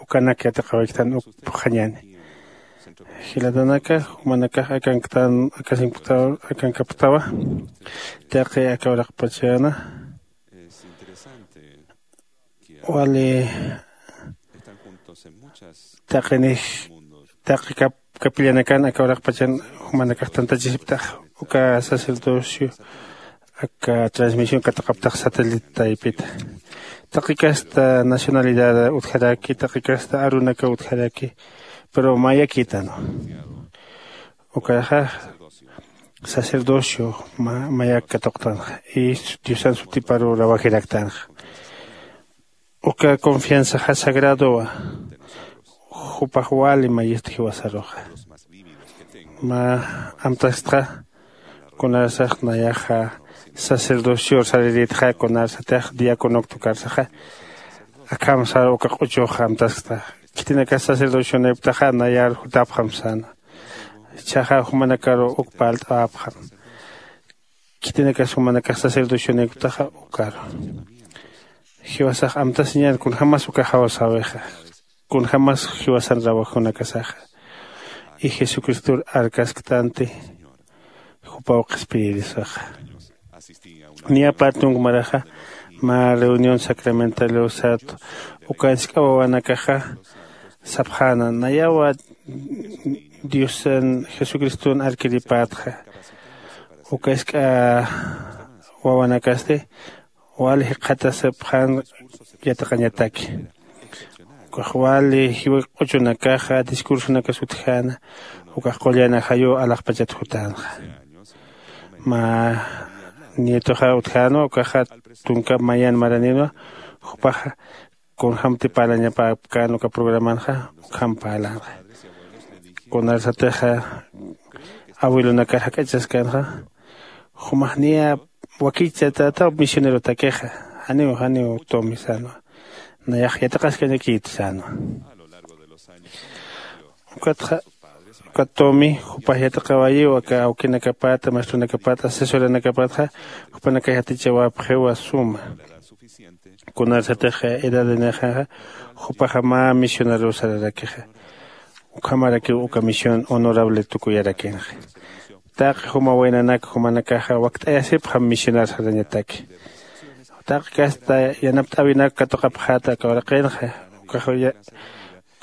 Ukanak yatiqawayktan uk puxañani. Jilatanaka jumanakax akanktan akankaptawa. Taqi aka uraqpachana wali taqinix taqi kapillanakan aka uraqpachan jumanakax tantachisiptax uka sacerdocio aka transmisión katuqaptax satélite taypita. Taqi kasta nacionalidad utjaraki taqi kasta arunaka utjaraki. Pero mayakïtanwa ukaxa sacerdocio mayak katuqtanxa. Y diosan sutiparu rawajiraktanxa. Uka confianzaxa sagradowa. Jupax wali mayista jiwasaruxa mä amtastxa. Kunarsax nayaxa sacerdocior sariritxa kunarsatix diaconoktukarsaxa. Akham sar uka q'uchux amtaskta. Khitinakas sacerdocioniptaxa nayar jutapxam sana. Jichhaxa jumanakaru uk parlt'awapxam. Khitinakas jumanakax sacerdocioniptaxa ukaru jiwasax amtasiñan kunjämas uka jawsawixa. Kunjämas jiwasan rawajunakasaxa y jesucristor arkasktanti. Jupaw qhispiyirisaxa. Niya partunk maraxa mä reunión sacramental usat ukansk'a wawanakaxa sapxäna nayawa diosan jesucriston arkiripätxa. Ukask'a wawanakasti wali jikxatasipxän yatiqañataki. Ukax wali jiwa q'uchunakaxa discursonakas utjäna ukax qullan ajayu alaxpachat jutänxa. Mä nietoxa utjänwa ukaxa tunka mayan maraninwa. Jupaxa kunjämti parlañapäpkän uka programanxa ukham parlänxa. Kunarsatixa abuelonakar jak'achaskänxa jumax niya wakichata misionerotakixa janiw janiw tumi sänwa. Nayax yatiqaskañakït sänwa. Ukatxa Katomi jupax yatiqawayiw aka awkinakapat maestrunakapat asesoranakapatxa. Jupanakax yatichawapxiwa suma. Kunarsatix edadinixaxa jupaxa mä misionarosararakixa. Ukhamarakiw uka misión honorable tukuyarakinaxa. Taqi juma waynanak jumanakaxa wakt'ayasipxam misionar sarañataki. Taqi kasta yanapt'äwinak katuqapxäta aka uraqinxa. Ukax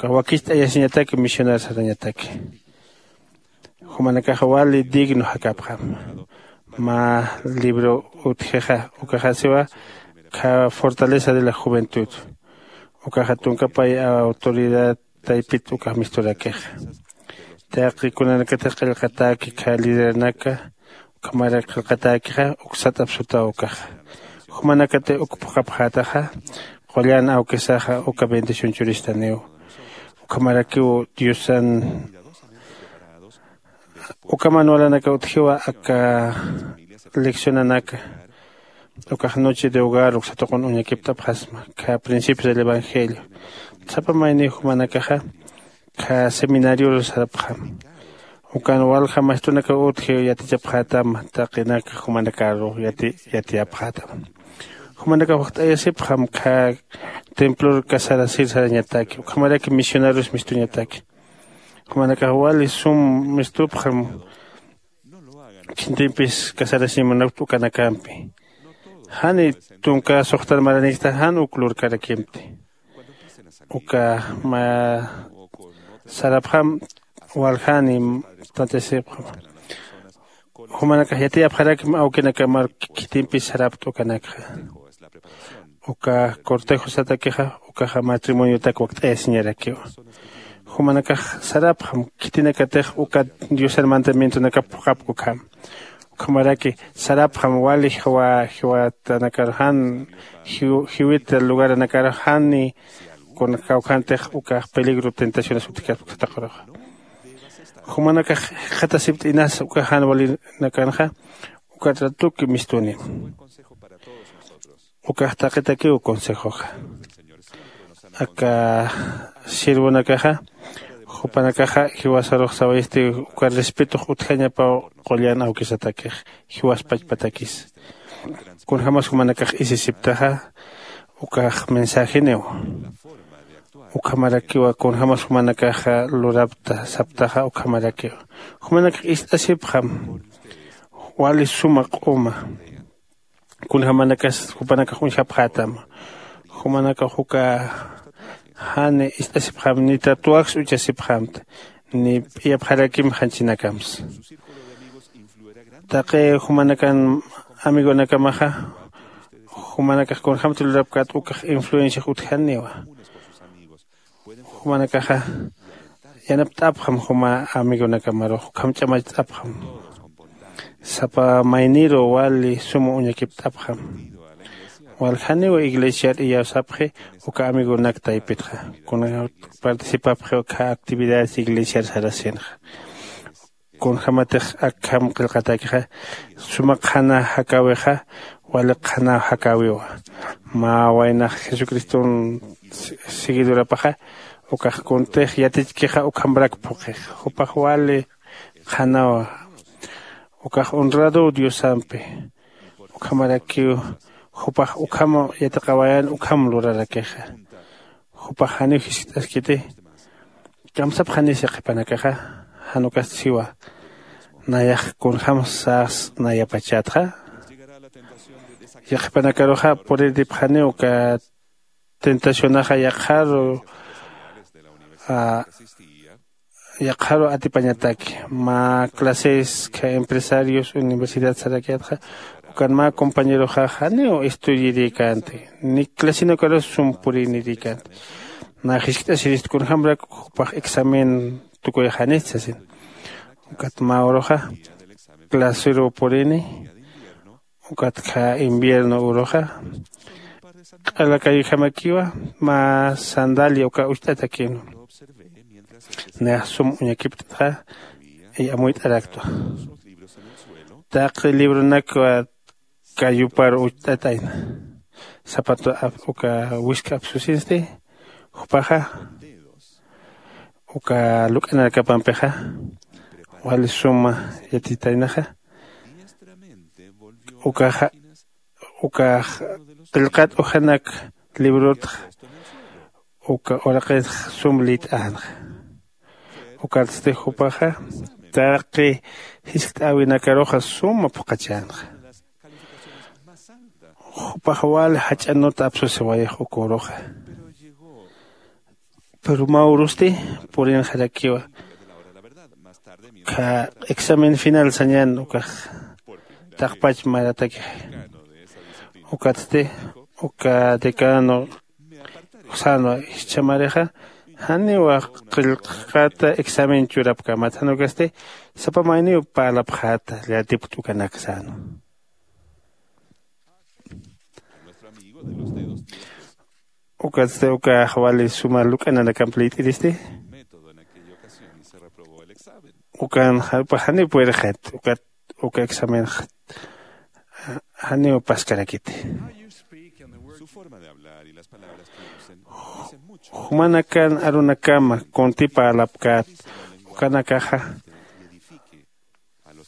wakicht'ayasiñataki misionar sarañataki. Jumanakaxa wali digno jakapxam. Mä libro utjixa ukaxasiwa kha fortaleza de la juventud. Ukaxa tunkapay autoridad taypit ukax misturakixa. Taqi kunanakatix qillqatäki kha lideranaka ukhamarak qillqatäkixa uksat'ap sutaw ukaxa. Jumanakati uk phuqhapxätaxa qullan awkisaxa uka bendición churistaniw. Ukhamarakiw diosan uka manualanaka utjiwa aka leccionanaka. Ukax noche de hogar uksatuqun uñakipt'apxasma kha principios del evangelio. Sapa mayniw jumanakaxa kha seminarior sarapxam. Ukan walja maestronaka utji yatichapxätam taqinaka jumanakaru yatiyapxätam. Jumanakax wajt'ayasipxam kha templor casarasir sarañataki ukhamaraki misionarios mistuñataki. Jumanakax wali sum mistupxam. Khitimpis casarasimunapt ukanakampi jani tunka suxtan maraniksta jan uk lurkarakimti. Uka mä sarapxam waljani tantasipxam. Jumanakax yatiyapxarakim awkinakamar khitimpis sarapta ukanakxa. Uka cortejosatakixa ukaxa matrimoniotak wakt'ayasiñarakiwa. Jumanakax sarapxam khitinakatix uka diosan mandamientonakap phuqhapka ukham. Ukhamaraki sarapxam wali jiwa jiwatanakar jan jiwita lugaranakar jani kuna kawkhantix ukax peligro tentaciones utjkaspa uksataqaruxa. Jumanakax jikxatasipt'inas uka jan walinakanxa ukat ratuki mistuni. Ukax taqitakiw consejoxa aka sirvonakaxa jupanakaxa jiwasarux sawayisti uka respetux utjañapaw qullan awkisatakix jiwas pachpatakis. Kunjämas jumanakax isisiptaxa ukax mensajeniw. Ukhamarakiwa kunjämas jumanakaxa lurapta saptaxa ukhamarakiwa. Jumanakax ist'asipxam wali suma q'uma kunjämanakas jupanakax uñjapxätam. Jumanakax uka jani ist'asipxam ni tatuwaks uchasipxamta ni p'iyapxarakim janchinakams. Taqi jumanakan amigonakamaxa jumanakax kunjämti lurapkät ukax influenciax utjaniwa. Jumanakaxa yanapt'apxam juma amigonakamarux ukham ch'amacht'apxam. Sapa mayniru wali suma uñakipt'apxam. Waljaniw iglesiar iyawsapxi uka amigonak taypitxa kuna participapxi uka actividades iglesiar sarasinxa. Kunjämatix akham qillqatäkixa suma qhana jakäwixa wali qhanaw jakäwiwa. Mä waynax jesucriston seguidorapaxa ukax kuntix yatichkixa ukhamrak phuqix jupax wali qhanawa. Ukax honradow diosampi ukhamarakiw jupax ukham yatiqawayan ukham lurarakixa. Jupax janiw jiskt'askiti kamsapxanis yaqhipanakaxa jan ukasti siwa nayax kunjämsas nayapachatxa. Yaqhipanakaruxa puriripxaniw uka tentacionaxa yaqharu yaqharu atipañataki mä clases kha empresarios universidad sarakiyatxa ukan mä compañeroxa janiw estudiirïkänti ni clasinakarus sum purïnirïkänti. Nä jiskt'asirist kunjämrak jupax examen tukuyxanist sasin. Ukat mä uruxa clasiruw purini ukat kha invierno uruxa q'alakayjamakiwa mä sandalia uka ucht'atakinu. Nayax sum uñakipt'atxa amuyt'araktwa. Taqi libronakwa kayupar ucht'at'ayna zapato uka wisk'ap susinsti jupaxa uka luk'anarkapampixa wali suma yatitaynaxa. Ukaxa ukax qillqat ujanak librotxa uka uraqitx sum lït'änxa. Ukatsti jupaxa taqi jiskt'äwinakaruxa suma phuqhachänxa. Jupax wali jach'anut apsusiwayix uka uruxa. Pero mä urusti purinxarakiwa. Kha examen final sañan ukax taqpach maratakixi. Ukatsti uka decano sänwa, jichhamarixa janiw qillqata examen churapkämat, jan ukasti sapa mayniw parlapxäta yatipkt ukanak sänwa. Ukatsti ukax wali suma luk'ananakamp liyt'iristi. Ukan janiw puyrxit ukat uka examen janiw paskarakiti. Jumanakan arunakama kunti parlapkät ukanakaxa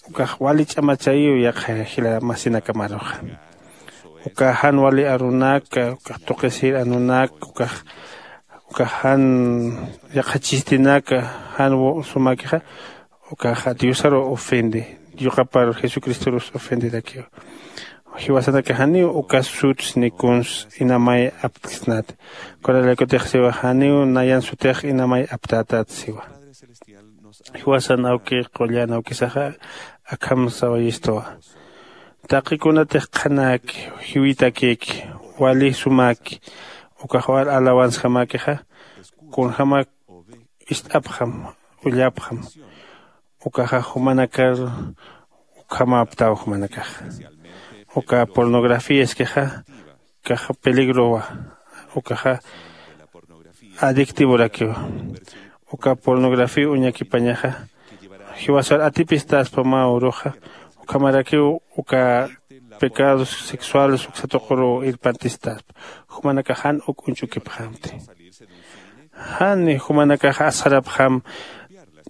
ukax wali ch'amachayiw yaqha jila masinakamaruxa. Uka jan wali arunaka ukax tuqisir anunak ukax ukax jan yaqha chistinaka jan sumakixa ukaxa diosaru ofende, yuqapar jesucristorus ofenderakiw. Jiwasanaka janiw uka suts ni kuns inamay aptksnati. Kunalaykutix siwa janiw nayan sutix inamay aptätät siwa. Jiwasan awki qullan awkisaxa akham sawayistuwa. Taqi kunatix qhanäki jiwitakïki wali sumäki ukax wal alawanskamäkixa kunjämak ist'apxam ullapxam. Ukaxa jumanakar ukhamäptaw jumanakaxa uka pornografiaskixa kaxa peligrowa. Ukaxa adictivorakiwa. Uka pornografía uñakipañaxa jiwasar atipistaspa mä uruxa ukhamarakiw uka pecados sexuales uksa tuquru irpantistaspa. Jumanakax jan uk uñch'ukipxamti. Jani jumanakax asxarapxam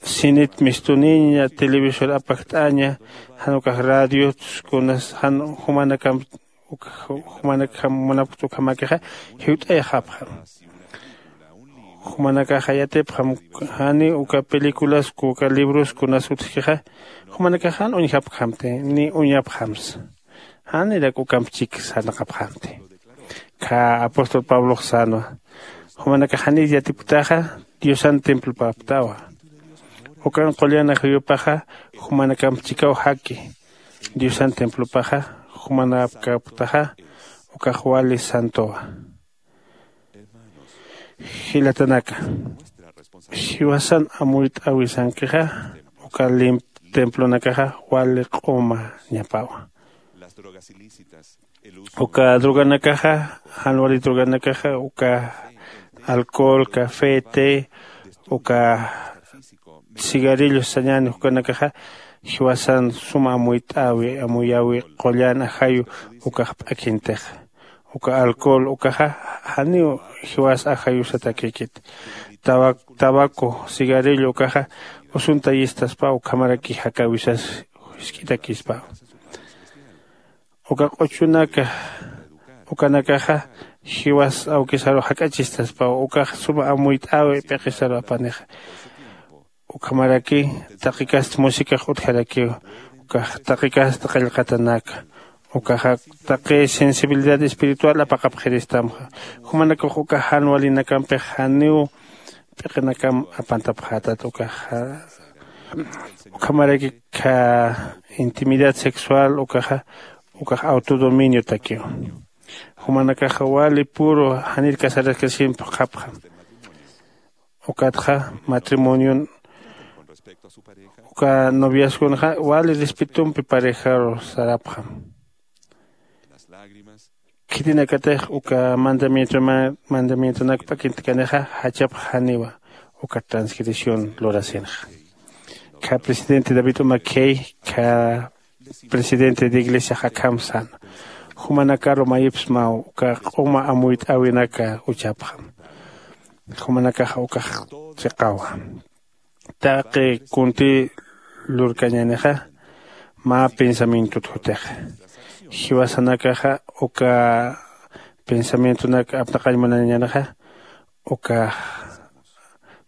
sinit mistuniña televisor apakt'aña jan ukax radiot kunas jan jumanakam jumanakjam munapkta ukhamakixa jiwt'ayxapxam. Jumanakaxa yatipxam jani uka películas uka libros kunas utjkixa jumanakax jan uñjapkxamti ni uñapxamsa. Janirak ukamp chik sarnaqapxamti. Kha apóstol pablox sänwa jumanakax janir yatipktaxa diosan templopäpktawa. Ukan qullan ajayupaxa jumanakamp chikaw jaki diosan templopaxa jumanapkäpktaxa ukax wali santowa. Jilatanaka, jiwasan amuyt'äwisankixa uka limp templonakaxa wali q'uma ñapawa. Uka droganakaxa jan wali droganakaxa uka alcohol café té uka cigarrillos sañäni jukanakaxa jiwasan suma amuyt'äwi amuyäwi qullan ajayu ukax p'akintixa. Uka alcohol ukaxa janiw jiwas ajayusatakïkiti. Tabaco cigarrillo ukaxa usuntayistaspa ukhamaraki jakäwisas jisk'itakispa. Uka q'uchunaka ukanakaxa jiwas awkisaru jak'achistaspa ukax suma amuyt'äwi p'iqisaru apanixa. Ukhamaraki taqi kasta musikax utjarakiw ukax taqi kasta qillqatanaka ukaxa taqi sensibilidad espiritual apaqapxiristamxa. Jumanakax uka jan walinakampix janiw p'iqinakam apantapxätat ukaxa. Ukhamaraki kha intimidad sexual ukaxa ukax autodominiotakiw. Jumanakaxa wali puro janir casaraskasimp qhapxam. Ukatxa matrimonion uka noviazgonxa wali respetompi parejaru sarapxam. Khitinakatix uka mandamientonak p'akintkanixa jachapx janiwa uka transgresión lurasinxa. Kha presidente david umakhey kha presidente de iglesiax akham säna. Jumanakaru mayipsmaw uka q'uma amuyt'äwinaka uchapxam. Jumanakaxa ukax chiqawa. Taqi kunti lurkañänixa mä pensamientot jutixa. Jiwasanakaxa uka pensamientonak apnaqañ munaniñänixa uka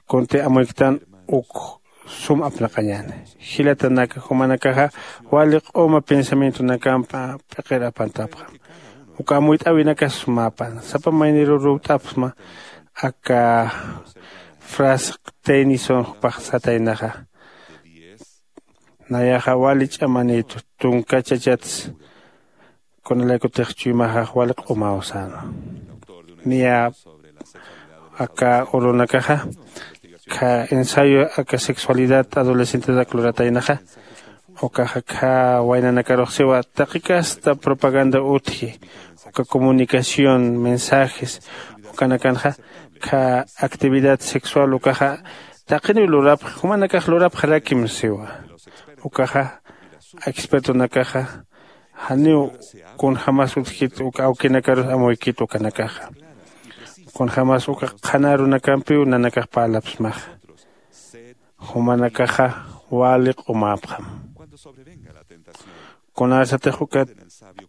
kunti amuyktan uk sum apnaqañäni. Jilatanaka jumanakaxa wali q'uma pensamientonakampa p'iqir apantapxam. Uka amuyt'äwinakas sumäpan sapa mayniru ruwt'apxsma. Aka frasq tenison jupax sataynaxa nayaxa wali ch'amanïtu. Tunka chachats kunalaykutix chuymaxax wali q'umaw säna. Niya aka urunakaxa kha ensayo aka sexualidad adolescentetak lurataynaxa ukaxa kha waynanakarux siwa taqi kasta propaganda utji uka comunicación mensajes ukanakanxa kha actividad sexual ukaxa taqiniw lurapx jumanakax lurapxarakim siwa. Ukaxa expertonakaxa janiw kunjämas utjkit uka awkinakarus amuykit ukanakaxa kunjämas uka qhanarunakampiw nanakax parlapsmaxa. Jumanakaxa wali q'umäpxam. Kunarsatix uka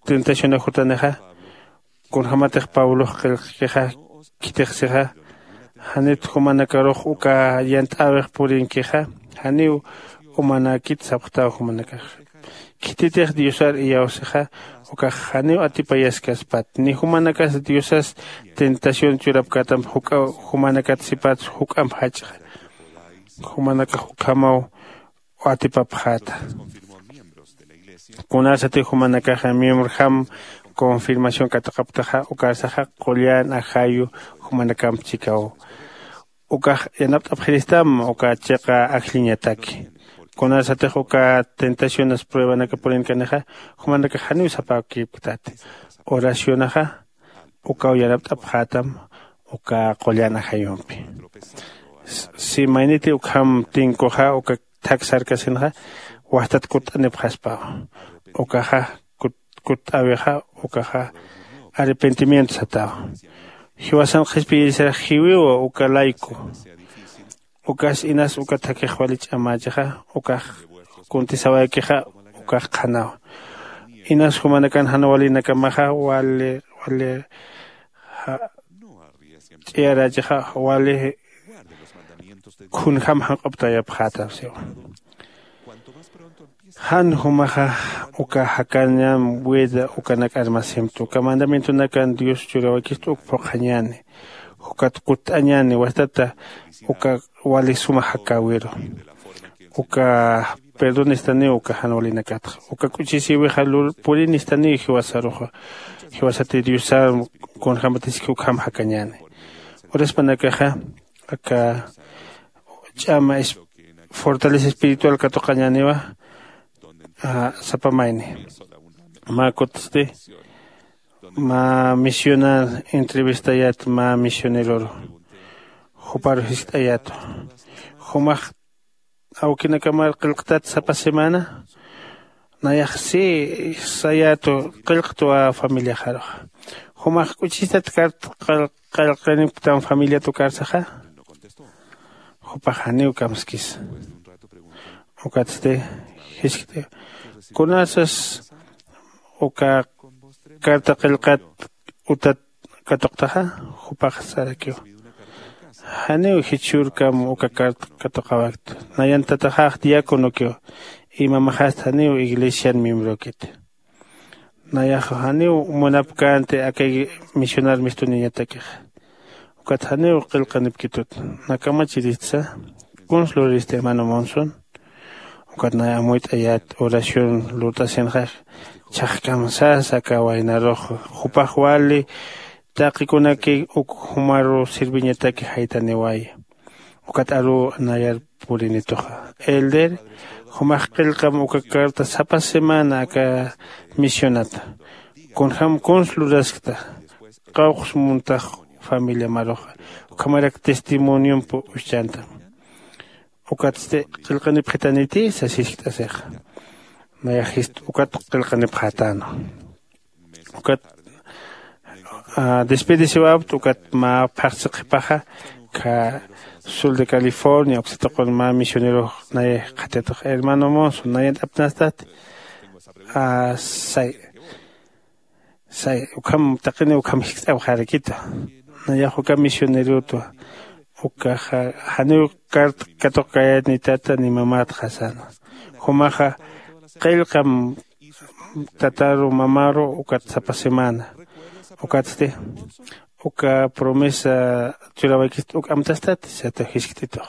tentacionax jutanixa kunjämatix pablox qillqkixa khitixsixa janit jumanakarux uka yant'äwix purinkixa janiw umanäkit sapxtaw jumanakax. Khititix diosar iyawsixa ukax janiw atipayaskaspat ni jumanakas diosas tentación churapkätamp juk'a jumanakat sipats juk'amp jach'a jumanakax ukhamaw atipapxäta. Kunasatix jumanakaxa miembrojam confirmación katuqaptaxa ukarsaxa qullan ajayu jumanakamp chikaw ukax yanapt'apxiristam uka chiqa ajlliñataki. Kunasatix uka tentaciones pruebanaka purinkanixa jumanakax janiw sapäkipktati. Oracionaxa ukaw yanapt'apxätam uka qullan ajayumpi. Si mayniti ukham tinkuxa uka thak sarkasinxa wajtat kutt'anipxaspawa. Ukaxa kutt'äwixa ukaxa arrepentimiento satawa. Jiwasan qhispiyirisa jiwiwa uka layku. Ukas inas uka thakix wali ch'amächixa ukax kuntisawaykixa ukax qhanawa. Inas jumanakan jan walinakamaxa wali wali ch'iyarächixa wali khunjam janq'uptayapxätam siwa. Jan jumaxa uka jakañam wida ukanak armasimtu uka mandamientonakan dios churawakista uk phuqhañäni. Jukat kutt'añäni wastata uka wali suma jakäwiru. Uka perdonistaniw uka jan walinakatxa uka k'uchisïwixa purinistaniw jiwasaruxa. Jiwasati diosar kunjämatiski ukham jakañäni. Uraspanakaxa aka ch'ama fortaleza espiritual katuqañäniwa. Sapa mayni mä kutsti mä misionar entrevistayät mä misioneroru juparu jiskt'ayätu. Jumax awkinakamar qillqtat sapa semana? Nayax si sayätu qillqtwa familiaxaruxa. Jumax k'uchistat kart qillqinipktam familiat ukarsaxa? Jupax janiw kamskisa. Ukatsti jiskt'iw kunasas uka carta qillqat utat katuqtaxa? Jupax sarakiw janiw jichhürkam uka carta katuqawaktu. Nayan tataxax diáconokiw y mamaxast janiw iglesian miembrokit. Nayax janiw munapkänti aka misionar mistuniñatakixa. Ukat janiw qillqanipkitut. Nakamachiristsa? Kuns luriristi hermano monson? Ukat nay amuyt'ayät oración lurt'asinxax chhaqkam sasa aka waynarux jupax wali taqikunaki uk jumaru sirviñataki jaytaniwaya. Ukat aruw nayar purinituxa elder jumax qillqam uka carta sapa semana aka misionata. Kunjam kuns luraskta qawqs muntax familiamaruxa ukhamarak testimoniomp uschantam. Ukatsti qillqanipxitaniti sasiskt'asixa. Nayaxist ukat qillqanipxätänwa. Ukat despedisiwäpt ukat mä phaxsi qhipaxa Ukha sul de California uksatuqun mä misionerox nay qhatatux hermano Monson nayan apnastati. Asay say ukham taqini ukham jikst'awxarakitu. Nayax uka misionerotwa ukaxa janiw karta katuqkayani tata ni mamatxa sana. Jumaxa qillqam tataru mamaru ukat sapa semana. Ukatsti uka promesa churawaykist uk amtastati sata jiskt'itux.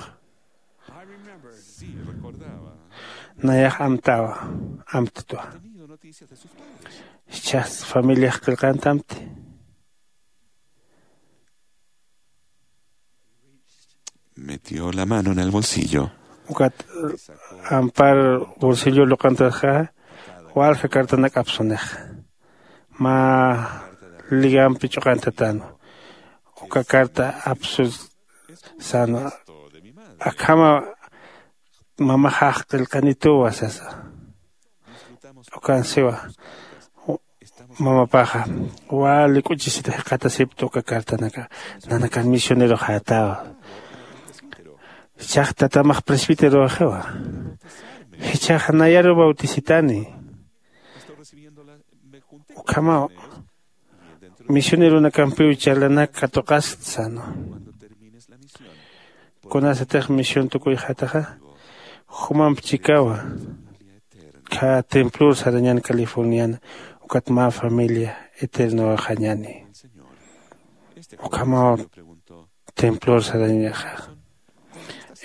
Nayax amtawa amttwa. Jichhax familiax qillqantamti. Metió la mano en el bolsillo. Ukat ampar bolsillo luqantaxa walja cartanak apsunixa. Mä ligampi ch'uqantatanwa uka carta apsu sana. Akhama mamaxax qillqanituwa sasa. Ukansiwa mamapaxa wali k'uchisita jiqatasipta uka cartanaka. Nanakan misioneroxatawa. Jichhax tatamax presbiteroxiwa. Jichhax nayaru bautisitani. Ukhamaw misioneronakampiw charlanak katuqaskta sano. Kunasatix misión tukuyxataxa jumamp chikawa. Kha templor sarañan californiana ukat mä familia eternoxañani. Ukhamaw templor sarañaxa.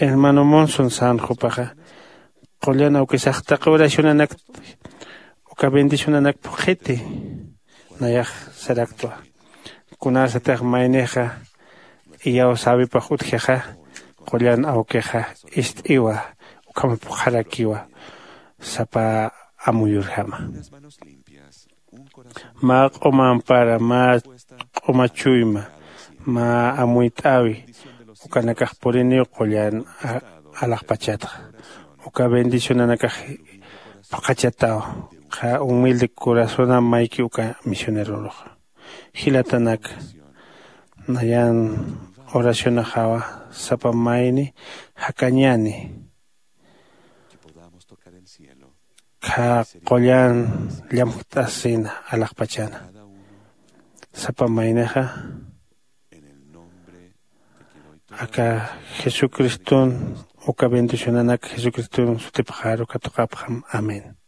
Hermano Monson san jupaxa qullan awkisax taqi oracionanak uka bendicionanak phuqhiti. Nayax saraktwa kunasatix maynixa iyaw sawipax utjixa qullan awkixa ist'iwa ukhama phuqharakiwa sapa amuyurjama. Mä q'uma ampara mä q'uma chuyma mä amuyt'awi ukanakax puriniw qullan alaxpachatxa. Uka bendicionanakax phuqhachataw. Qha humilde corazona mayki uka misioneroruxa. Jilatanaka nayan oracionaxawa sapa mayni jakañani. Kha qullan llamjt'asina alaxpachana sapa maynixa aka jesucriston uka bendicionanak jesucriston sutipxaru katuqapxam. Amén.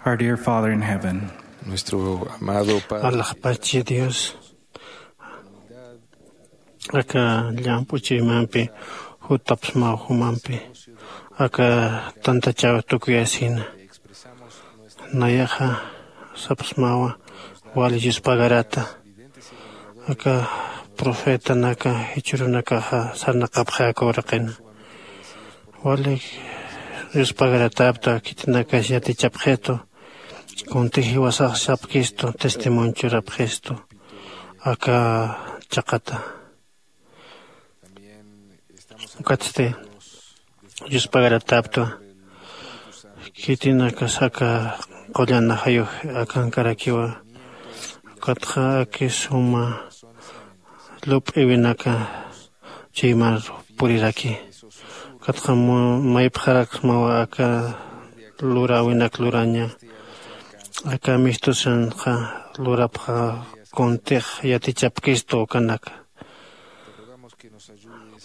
Our dear Father in heaven, nuestro amado Padre, alaxpachi Dios, aka llamp'u chuymampi jutapsmaw jumampi aka tantachaw tukuyasina. Nayaxa sapsmawa wali yuspagarata aka profetanaka jichhürunakaxa sarnaqapxi aka uraqina. Wali yuspagarata apta khitinakas yatichapxitu kuntix jiwasax sapkistu testimonio churapxistu aka chaqata. Ukatsti yuspagarata apta khitinakas aka qullan ajayux akankarakiwa. Ukatxa aki suma lup'iwinaka chuymar puriraki. Ukatxa maypxaraksmawa aka luräwinak luraña aka mistusanxa lurapxa kuntix yatichapkistu ukanaka.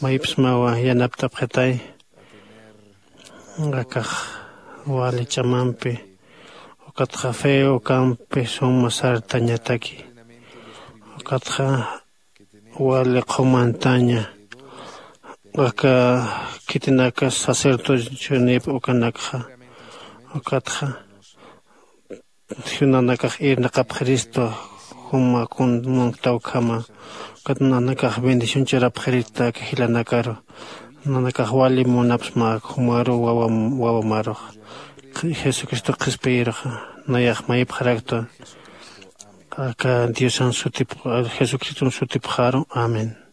Maypsmawa yanapt'apxitay akax wali ch'amampi ukatxa fe ukampi suma sartañataki. Ukatxa wali qhumantaña aka khitinakas sacerdocionip ukanakxa. Ukatxa nanakax irnaqapxiristu juma kun munkta ukhama. Ukat nanakax bendición churapxiristu aka jilanakaru. Nanakax wali munapsma jumaru wawa wawamarux jesucristo qhispiyiruxa. Nayax maypxaraktu aka diosan sutip jesucriston sutipxaru. Amén.